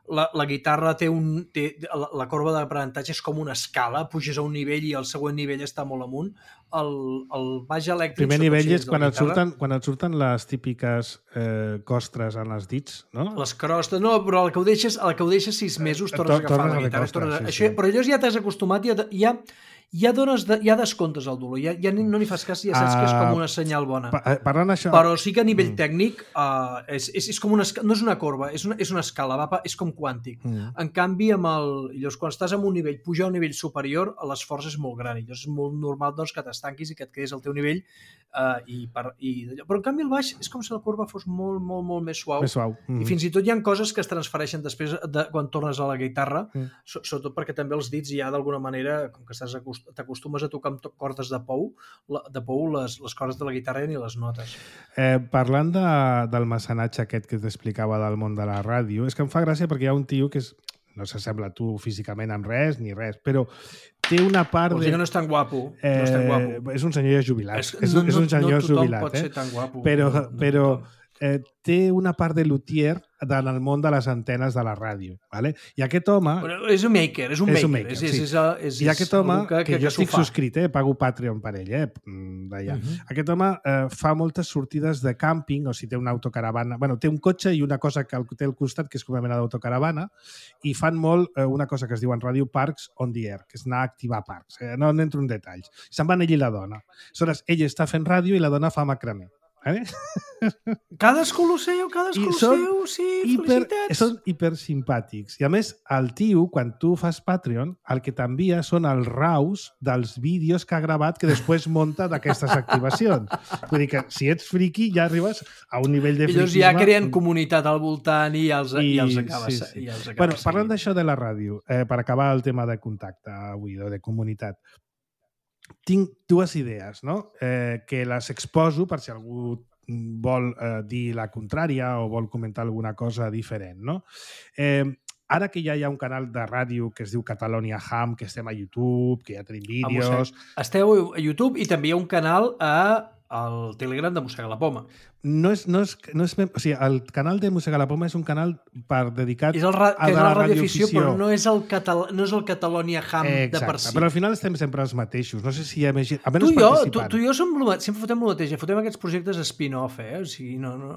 la guitarra té la corba d'aprenentatge és com una escala, puges a un nivell i el següent nivell està molt amunt. El baix elèctric... El primer nivell és quan et surten les típiques costres en els dits, no? Les crostes, no, però el que ho deixes 6 mesos tornes a agafar la guitarra. Però allò ja t'has acostumat i ja descomptes el dolor, ja no n'hi fas cas, ja saps que és com una senyal bona. Parlant això... Però sí que a nivell tècnic és com no és una corba, és una escala, és com quàntic. En canvi, llavors, quan estàs en un nivell, pujar a un nivell superior, l'esforç és molt gran, i llavors és molt normal que t'estanquis i que et quedis al teu nivell Però en canvi el baix és com si la curva fos molt, molt, molt més suau. Més suau. I fins i tot hi ha coses que es transfereixen després quan tornes a la guitarra, sobretot perquè també els dits ja d'alguna manera, com que t'acostumes a tocar amb cordes de pou, les cordes de la guitarra ni les notes. Parlant del mecenatge aquest que t'explicava del món de la ràdio, és que em fa gràcia perquè hi ha un tio que no s'assembla a tu físicament amb res ni res, però té una part... Vols dir que no és tan guapo. És un senyor jubilat. És un senyor jubilat. No tothom pot ser tan guapo. Però té una part de luthier en el món de les antenes de la ràdio. Vale? I aquest home... Però és un maker. I aquest home, que jo estic subscrit, pago Patreon per ell, d'allà. Aquest home fa moltes sortides de càmping, o sigui, té una autocaravana... Bueno, té un cotxe i una cosa que té al costat, que és com una mena d'autocaravana, i fan molt una cosa que es diu en ràdio Parks on the Air, que és anar a activar parcs. No entro en detalls. Se'n van ell i la dona. Aleshores, ell està fent ràdio i la dona fa macramé. Cadascú el seu, sí, felicitats. Són hipersimpàtics. I a més, el tio, quan tu fas Patreon, el que t'envia són els raus dels vídeos que ha gravat que després monta d'aquestes activacions. Vull dir que si ets friqui ja arribes a un nivell de friquisme... Ells ja creen comunitat al voltant i els acabes Bueno, parlant d'això de la ràdio, per acabar el tema de contacte avui, de comunitat, tinc dues idees, no? Que les exposo per si algú vol dir la contrària o vol comentar alguna cosa diferent, no? Ara que ja hi ha un canal de ràdio que es diu Catalonia Ham, que estem a YouTube, que ja tenim vídeos... Esteu a YouTube i també hi ha un canal al Telegram de Mossega la Poma. O sigui, el canal de Mossega la Poma és un canal dedicat a la radioafició, però no és el Catalonia Ham de per si. Però al final estem sempre els mateixos. No sé si hi ha més gent... Tu i jo sempre fotem el mateix. Fotem aquests projectes spin-off, O sigui, no...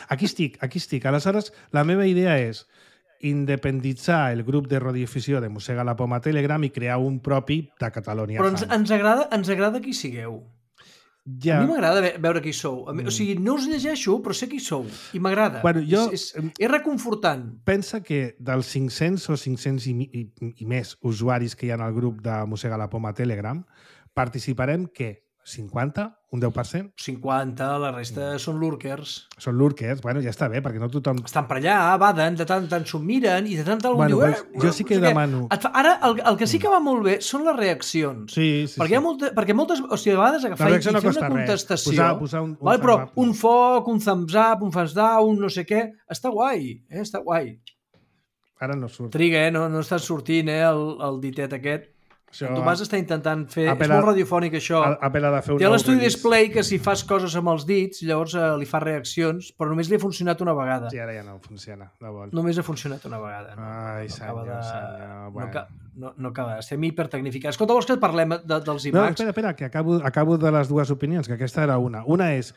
Aquí estic. Aleshores, la meva idea és independitzar el grup de radioafició de Mossega la Poma a Telegram i crear un propi de Catalonia Ham. Però ens agrada qui sigueu. Ja. A mi m'agrada veure qui sou. O sigui, no us llegeixo, però sé qui sou. I m'agrada. Bueno, és reconfortant. Pensa que dels 500 o 500 i més usuaris que hi ha al grup de Mossega la Poma a Telegram, participarem, què? 50? Un 10%? 50, la resta són lurkers. Són lurkers, bueno, ja està bé, perquè no tothom... Estan per allà, baden, de tant en tant s'ho miren, i de tant en tant diu... Jo sí que demano... Ara, el que sí que va molt bé són les reaccions. Sí. Perquè moltes... O sigui, a vegades agafar i fer una contestació... Posar un però un foc, un thumbs up, un thumbs down, no sé què... Està guai, està guai. Ara no surt. Triga, no està sortint, el ditet aquest. Això... Tu vas estar intentant fer... És molt radiofònic, això. Té l'estudi Display que si fas coses amb els dits, llavors li fa reaccions, però només li ha funcionat una vegada. Sí, ara ja no funciona. Només ha funcionat una vegada. Ai, senyor. Bueno. No acaba. Estem hipertecnificats. Escolta, vols que parlem dels iMacs? No, espera, que acabo de les dues opinions, que aquesta era una. Una és,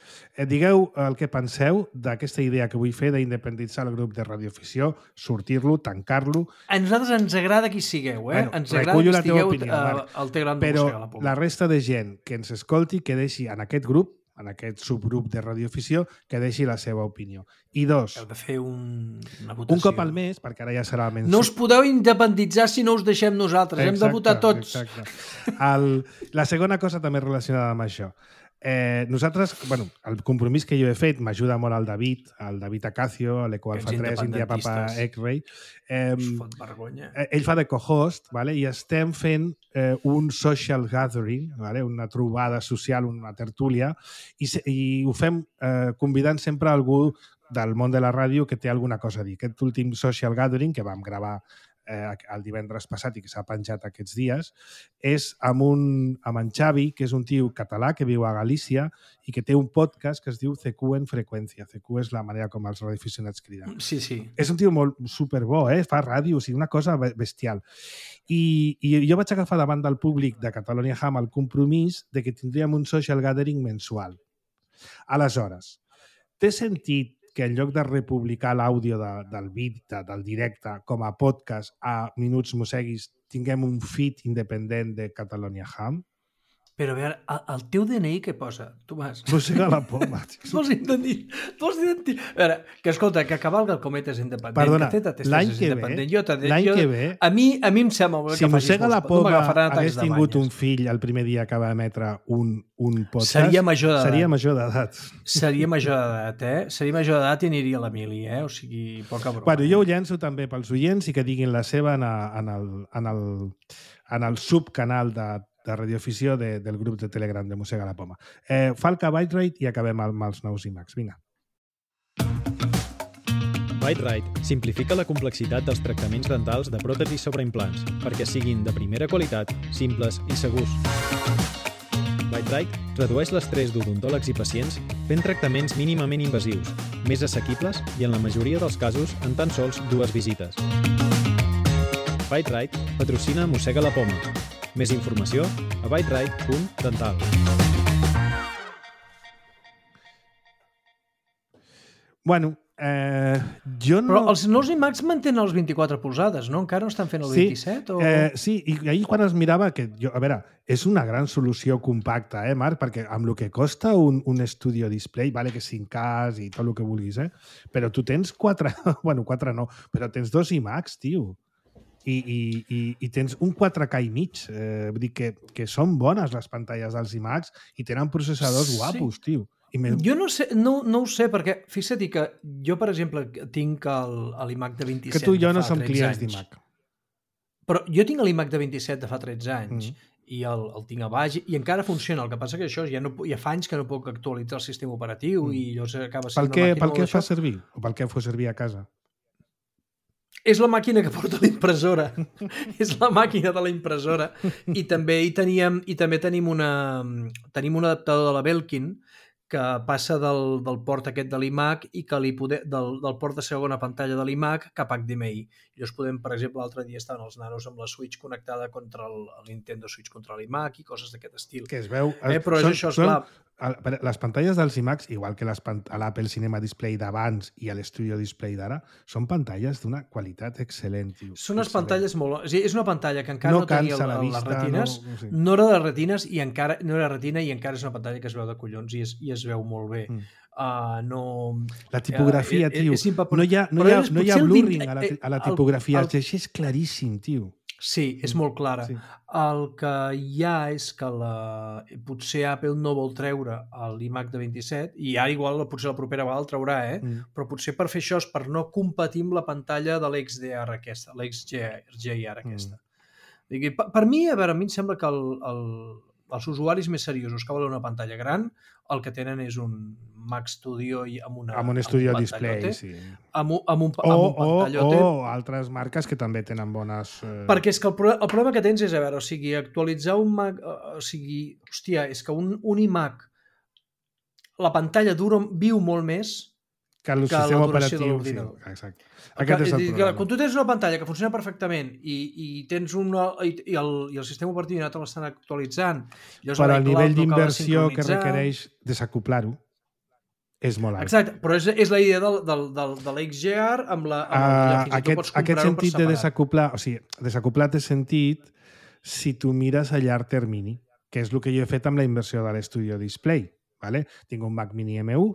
digueu el que penseu d'aquesta idea que vull fer d'independitzar el grup de radioafició, sortir-lo, tancar-lo... A nosaltres ens agrada qui sigueu, Bueno, ens agrada que estigueu al Telegram de Mossega la Poma. Però la resta de gent que ens escolti, que deixi en aquest grup, en aquest subgrup de radioafició, que deixi la seva opinió. I dos... Heu de fer una votació. Un cop al mes, perquè ara ja serà menys... No us podeu independitzar si no us deixem nosaltres. Hem de votar tots. Exacte. La segona cosa també relacionada amb això. Nosaltres, el compromís que jo he fet m'ajuda molt el David Acacio, l'Ecoalfa 3, India Papa X-Ray. Fot vergonya. Ell fa de co-host, vale? I estem fent un social gathering, vale? Una trobada social, una tertúlia, i ho fem convidant sempre algú del món de la ràdio que té alguna cosa a dir. Aquest últim social gathering que vam gravar el divendres passat i que s'ha penjat aquests dies, és amb en Xavi, que és un tio català que viu a Galícia i que té un podcast que es diu CQ en freqüència. CQ és la manera com els radioaficionats criden. Sí. És un tio molt superbo, fa ràdio, o sigui, una cosa bestial. I jo vaig agafar davant del públic de Catalonia Ham el compromís de que tindríem un social gathering mensual. Aleshores, té sentit que en lloc de republicar l'àudio del vídeo, del directe, com a podcast a Minuts Mosseguis, tinguem un feed independent de Catalonia Ham? Però a veure, el teu DNI què posa, Tomàs? Mossega la poma. Vols intentar... A veure, que escolta, que cavalga el comet és independent. Perdona, que l'any que ve... A mi em sembla si Mossega la poma hagués tingut un fill el primer dia que va emetre un podcast... Seria major d'edat. Seria major d'edat. Seria major d'edat i aniria a l'Emili, O sigui, poca broma. Bueno, jo ho llenço també pels oients i que diguin la seva en el subcanal de radioafició del grup de Telegram de Mossega la Poma. Falca Byte-Rate i acabem amb els nous iMacs. Vinga. Byte-Rate simplifica la complexitat dels tractaments dentals de pròtesis sobre implants perquè siguin de primera qualitat, simples i segurs. Byte-Rate redueix l'estrès d'odontòlegs i pacients fent tractaments mínimament invasius, més assequibles i en la majoria dels casos en tan sols 2 visites. Byte-Rate patrocina Mossega la Poma. Més informació a byterate.dental. Bueno, jo no... Però els nous iMacs mantenen els 24 polzades, no? Encara no estan fent el 27? Sí, i ahir quan es mirava que... A veure, és una gran solució compacta, Marc? Perquè amb el que costa un Studio Display, vale que 5K i tot el que vulguis, però tu tens 4... Bueno, 4 no, però tens 2 iMacs, tio. I tens un 4K i mig. Vull dir que són bones les pantalles dels iMacs i tenen processadors guapos, tio. Jo no sé, no ho sé, perquè fixa't que jo, per exemple, tinc l'iMac de 27 que tu i jo no som clients d'iMac. Però jo tinc l'iMac de 27 de fa 13 anys i el tinc a baix i encara funciona. El que passa que això ja fa anys que no puc actualitzar el sistema operatiu i llavors acaba sent una màquina... Pel què fa servir? O pel què fa servir a casa? És la màquina que porta la impressora. És la màquina de la impressora. I també tenim un adaptador de la Belkin que passa del port aquest de l'iMac i que del port de segona pantalla de l'iMac cap a HDMI. Llavors podem, per exemple, l'altre dia estaven els nanos amb la Switch connectada contra el Nintendo Switch contra l'iMac i coses d'aquest estil. Que es veu... Però això és clar. Les pantalles dels iMacs, igual que l'Apple Cinema Display d'abans i l'Studio Display d'ara, són pantalles d'una qualitat excel·lent. Són unes pantalles molt... És una pantalla que encara no tenia les retines, no era de retines i encara no era retina i encara és una pantalla que es veu de collons i es veu molt bé. La tipografia, tio. No hi ha blurring a la tipografia. El llegeix claríssim, tio. Sí, és molt clara. Sí. El que hi ha és que potser Apple no vol treure l'iMac de 27 i ara igual potser la propera vegada el traurà, però potser per fer això és per no competir amb la pantalla de l'XDR aquesta, l'XGR aquesta. Per mi, a mi em sembla que els usuaris més seriosos que volen una pantalla gran el que tenen és un Mac Studio amb un Studio Display, sí. Amb un pantallote. O altres marques que també tenen bones... Perquè és que el problema que tens és, a veure, actualitzar un Mac... és que un iMac, la pantalla viu molt més que el sistema operatiu de l'ordinador. Sí, exacte. Aquest és el problema. Quan tu tens una pantalla que funciona perfectament i tens i el sistema operatiu no te l'estan actualitzant... Per al nivell d'inversió que requereix desacoplar-ho, és molt alt. Exacte, però és la idea de l'XGR amb la... Aquest sentit de desacoplar, o sigui, desacoplar té sentit si tu mires a llarg termini, que és el que jo he fet amb la inversió de l'Studio Display. ¿Vale? Tinc un Mac Mini M1,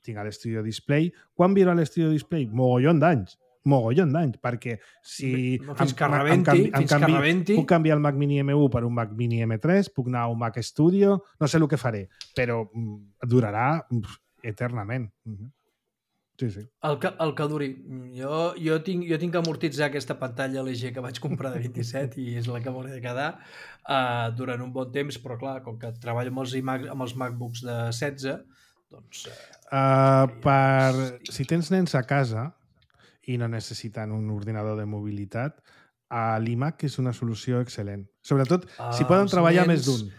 tinc a l'Studio Display. Quan viro a l'Studio Display? Mogollon d'anys, perquè si fins que rebenti puc canviar el Mac Mini M1 per un Mac Mini M3, puc anar a un Mac Studio, no sé el que faré, però durarà eternament. Sí, sí. El que duri. Jo tinc que amortitzar aquesta pantalla LG que vaig comprar de 27 i és la que m'hauré de quedar durant un bon temps, però clar, com que treballo amb els MacBooks de 16, doncs... Si tens nens a casa i no necessiten un ordinador de mobilitat, l'iMac és una solució excel·lent. Sobretot si poden treballar més d'un.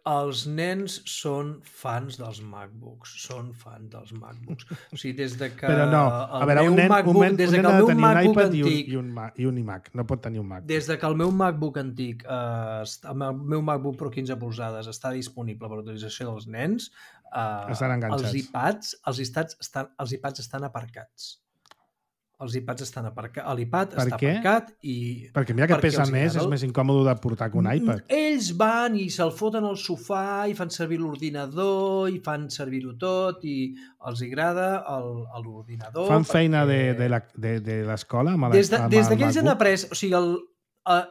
Els nens són fans dels MacBooks. O sigui, des de que... Però no, a veure, un nen ha de tenir un iPad i un iMac. No pot tenir un Mac. Des de que el meu MacBook antic, el meu MacBook Pro 15 polzades està disponible per a utilització dels nens, estan enganxats. Els iPads estan aparcats. Els iPads estan aparcats. L'iPad està aparcat i... Perquè mira que pesa més, és més incòmode de portar que un iPad. Ells van i se'l foten al sofà i fan servir l'ordinador i fan servir-ho tot i els agrada l'ordinador. Fan feina de l'escola? Des que ells han après... O sigui,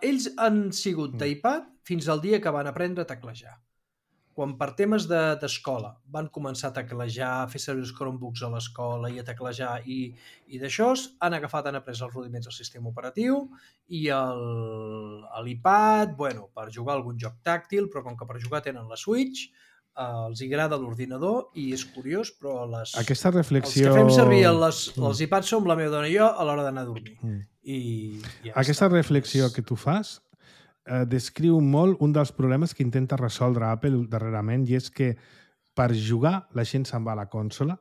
ells han sigut d'iPad fins al dia que van aprendre a teclejar. Quan per temes d'escola van començar a teclejar, a fer servir els Chromebooks a l'escola i a teclejar i d'això, han après els rudiments del sistema operatiu i l'iPad, per jugar algun joc tàctil, però com que per jugar tenen la Switch, els agrada l'ordinador i és curiós, però aquesta reflexió... els que fem servir els iPads som la meva dona i jo a l'hora d'anar a dormir. Aquesta reflexió que tu fas descriu molt un dels problemes que intenta resoldre Apple darrerament, i és que per jugar la gent se'n va a la consola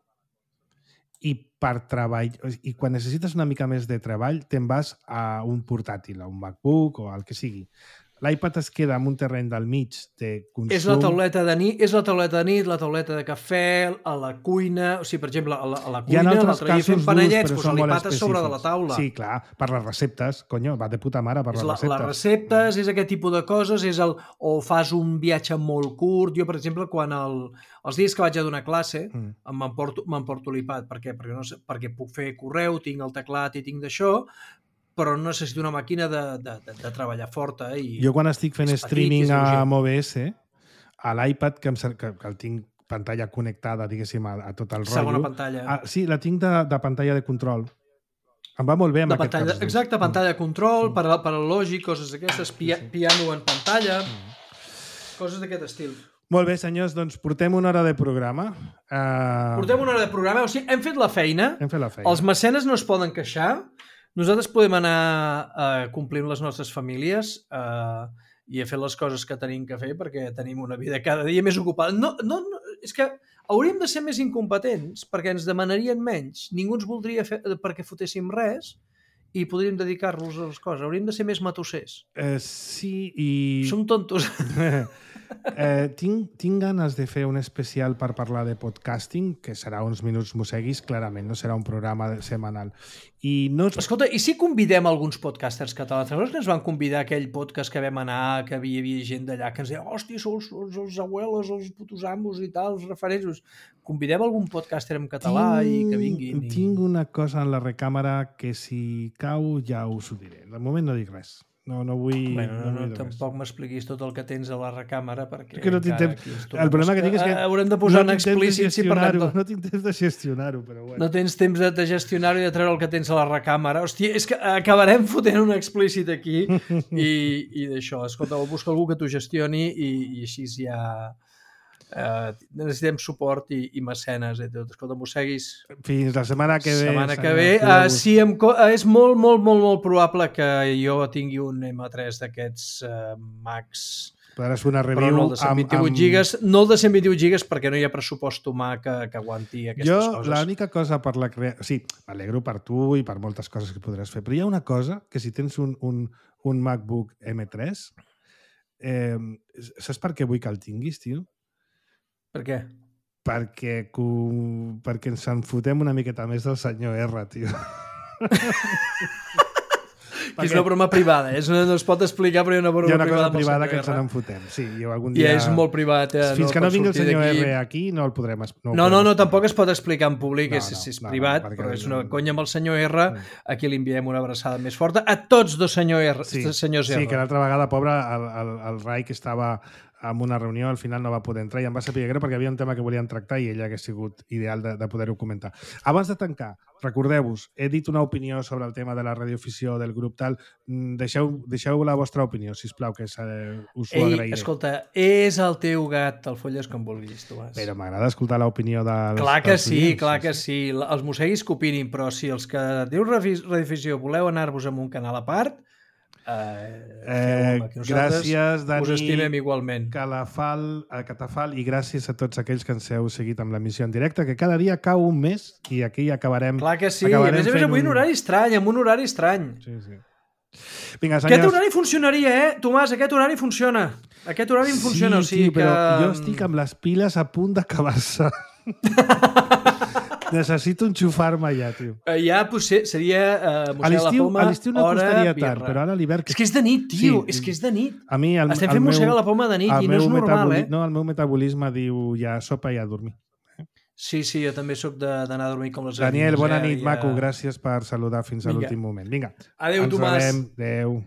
i per treball, i quan necessites una mica més de treball te'n vas a un portàtil, a un MacBook o al que sigui. L'iPad es queda en un terreny del mig de consum. És la tauleta de nit, la tauleta de cafè, a la cuina... O sigui, per exemple, a la cuina, l'altre dia fent panellets, l'iPad és sobre de la taula. Sí, clar, per les receptes, va de puta mare per les receptes. Les receptes, és aquest tipus de coses, o fas un viatge molt curt. Jo, per exemple, quan els dies que vaig a donar classe, m'emporto l'iPad. Per què? Perquè puc fer correu, tinc el teclat i tinc d'això, però no necessito una màquina de treballar forta. Jo quan estic fent streaming amb OBS, a l'iPad, que el tinc pantalla connectada, diguéssim, a tot el rotllo... Segona pantalla. Sí, la tinc de pantalla de control. Em va molt bé amb aquest cas. Exacte, pantalla de control, per al lògic, coses d'aquestes, piano en pantalla, coses d'aquest estil. Molt bé, senyors, doncs portem una hora de programa. Portem una hora de programa, o sigui, hem fet la feina. Els mecenes no es poden queixar. Nosaltres podem anar complint les nostres famílies i a fer les coses que tenim que fer perquè tenim una vida cada dia més ocupada. No, és que hauríem de ser més incompetents perquè ens demanarien menys. Ningú ens voldria fer perquè fotéssim res i podríem dedicar-los a les coses. Hauríem de ser més matossers. Sí, i... Som tontos. Tinc ganes de fer un especial per parlar de podcasting, que serà uns minuts mosseguis, clarament, no serà un programa setmanal. Escolta, i si convidem alguns podcasters catalans? Llavors que ens van convidar a aquell podcast que vam anar, que hi havia gent d'allà que ens deia, hòstia, sous els abuelos, els putos amos i tal, els referents. Convidem algun podcaster en català i que vinguin. Tinc una cosa en la recàmera que si cau ja us ho diré. De moment no dic res. No vull... Tampoc m'expliquis tot el que tens a la recàmera perquè... El problema que tinc és que... Haurem de posar en explícit si parlem... No tinc temps de gestionar-ho, però bueno. No tens temps de gestionar-ho i de treure el que tens a la recàmera. Hòstia, és que acabarem fotent un explícit aquí i d'això. Escolta, busca algú que t'ho gestioni i així ja... necessitem suport i mecenes i tot. Escolta, mosseguis fins la setmana que ve. Sí, és molt, molt, molt, molt probable que jo tingui un M3 d'aquests Macs, podràs fer una review però no el de 128 gigas, no el de 128 gigas perquè no hi ha pressupost humà que aguanti aquestes coses. L'única cosa per la creació... Sí, m'alegro per tu i per moltes coses que podràs fer, però hi ha una cosa que si tens un MacBook M3 saps per què vull que el tinguis, tio? Per què? Perquè ens en fotem una miqueta més del senyor R, tio. Que és una broma privada, no es pot explicar, però hi ha una broma privada. Hi ha una cosa privada que ens en fotem, sí. Algun dia... I és molt privat. Fins que no vingui el senyor R aquí, no el podrem... No, tampoc es pot explicar en públic, és privat, però és una conya amb el senyor R, aquí li enviem una abraçada més forta a tots dos senyors R. Sí, que l'altra vegada, pobre, el Rai, que estava en una reunió, al final no va poder entrar i em va saber greu perquè hi havia un tema que volien tractar i ell hagués sigut ideal de poder-ho comentar. Abans de tancar, recordeu-vos, he dit una opinió sobre el tema de la radioafició del grup tal, deixeu la vostra opinió, sisplau, que us ho agrairé. Escolta, és el teu gat, el folles com vulguis, Tomàs. Però m'agrada escoltar l'opinió dels... Clar que sí, els mosseguis que opinin, però si els que diu radioafició voleu anar-vos amb un canal a part, gràcies, Dani, us estimem igualment. Catafal, i gràcies a tots aquells que ens heu seguit amb l'emissió en directe, que cada dia cau un més i aquí acabarem. Clar que sí, a més avui un horari estrany, amb un horari estrany. Sí. Vinga, senyors. Aquest horari funcionaria, Tomàs, aquest horari funciona. Aquest horari funciona, o sigui però jo estic amb les piles a punt d'acabar-se. Necessito enxufar-me ja, tio. Ja potser seria Mossega la Poma, a l'estiu no costaria tant, però ara a l'hivern... És que és de nit, tio, és que és de nit. A mi, estem fent Mossega la Poma de nit i no és normal, No, el meu metabolisme diu ja sopa i a dormir. Sí, jo també sóc d'anar a dormir com les Daniel, bona nit, maco. Gràcies per saludar fins a l'últim moment. Vinga. Adéu, Tomàs. Adéu.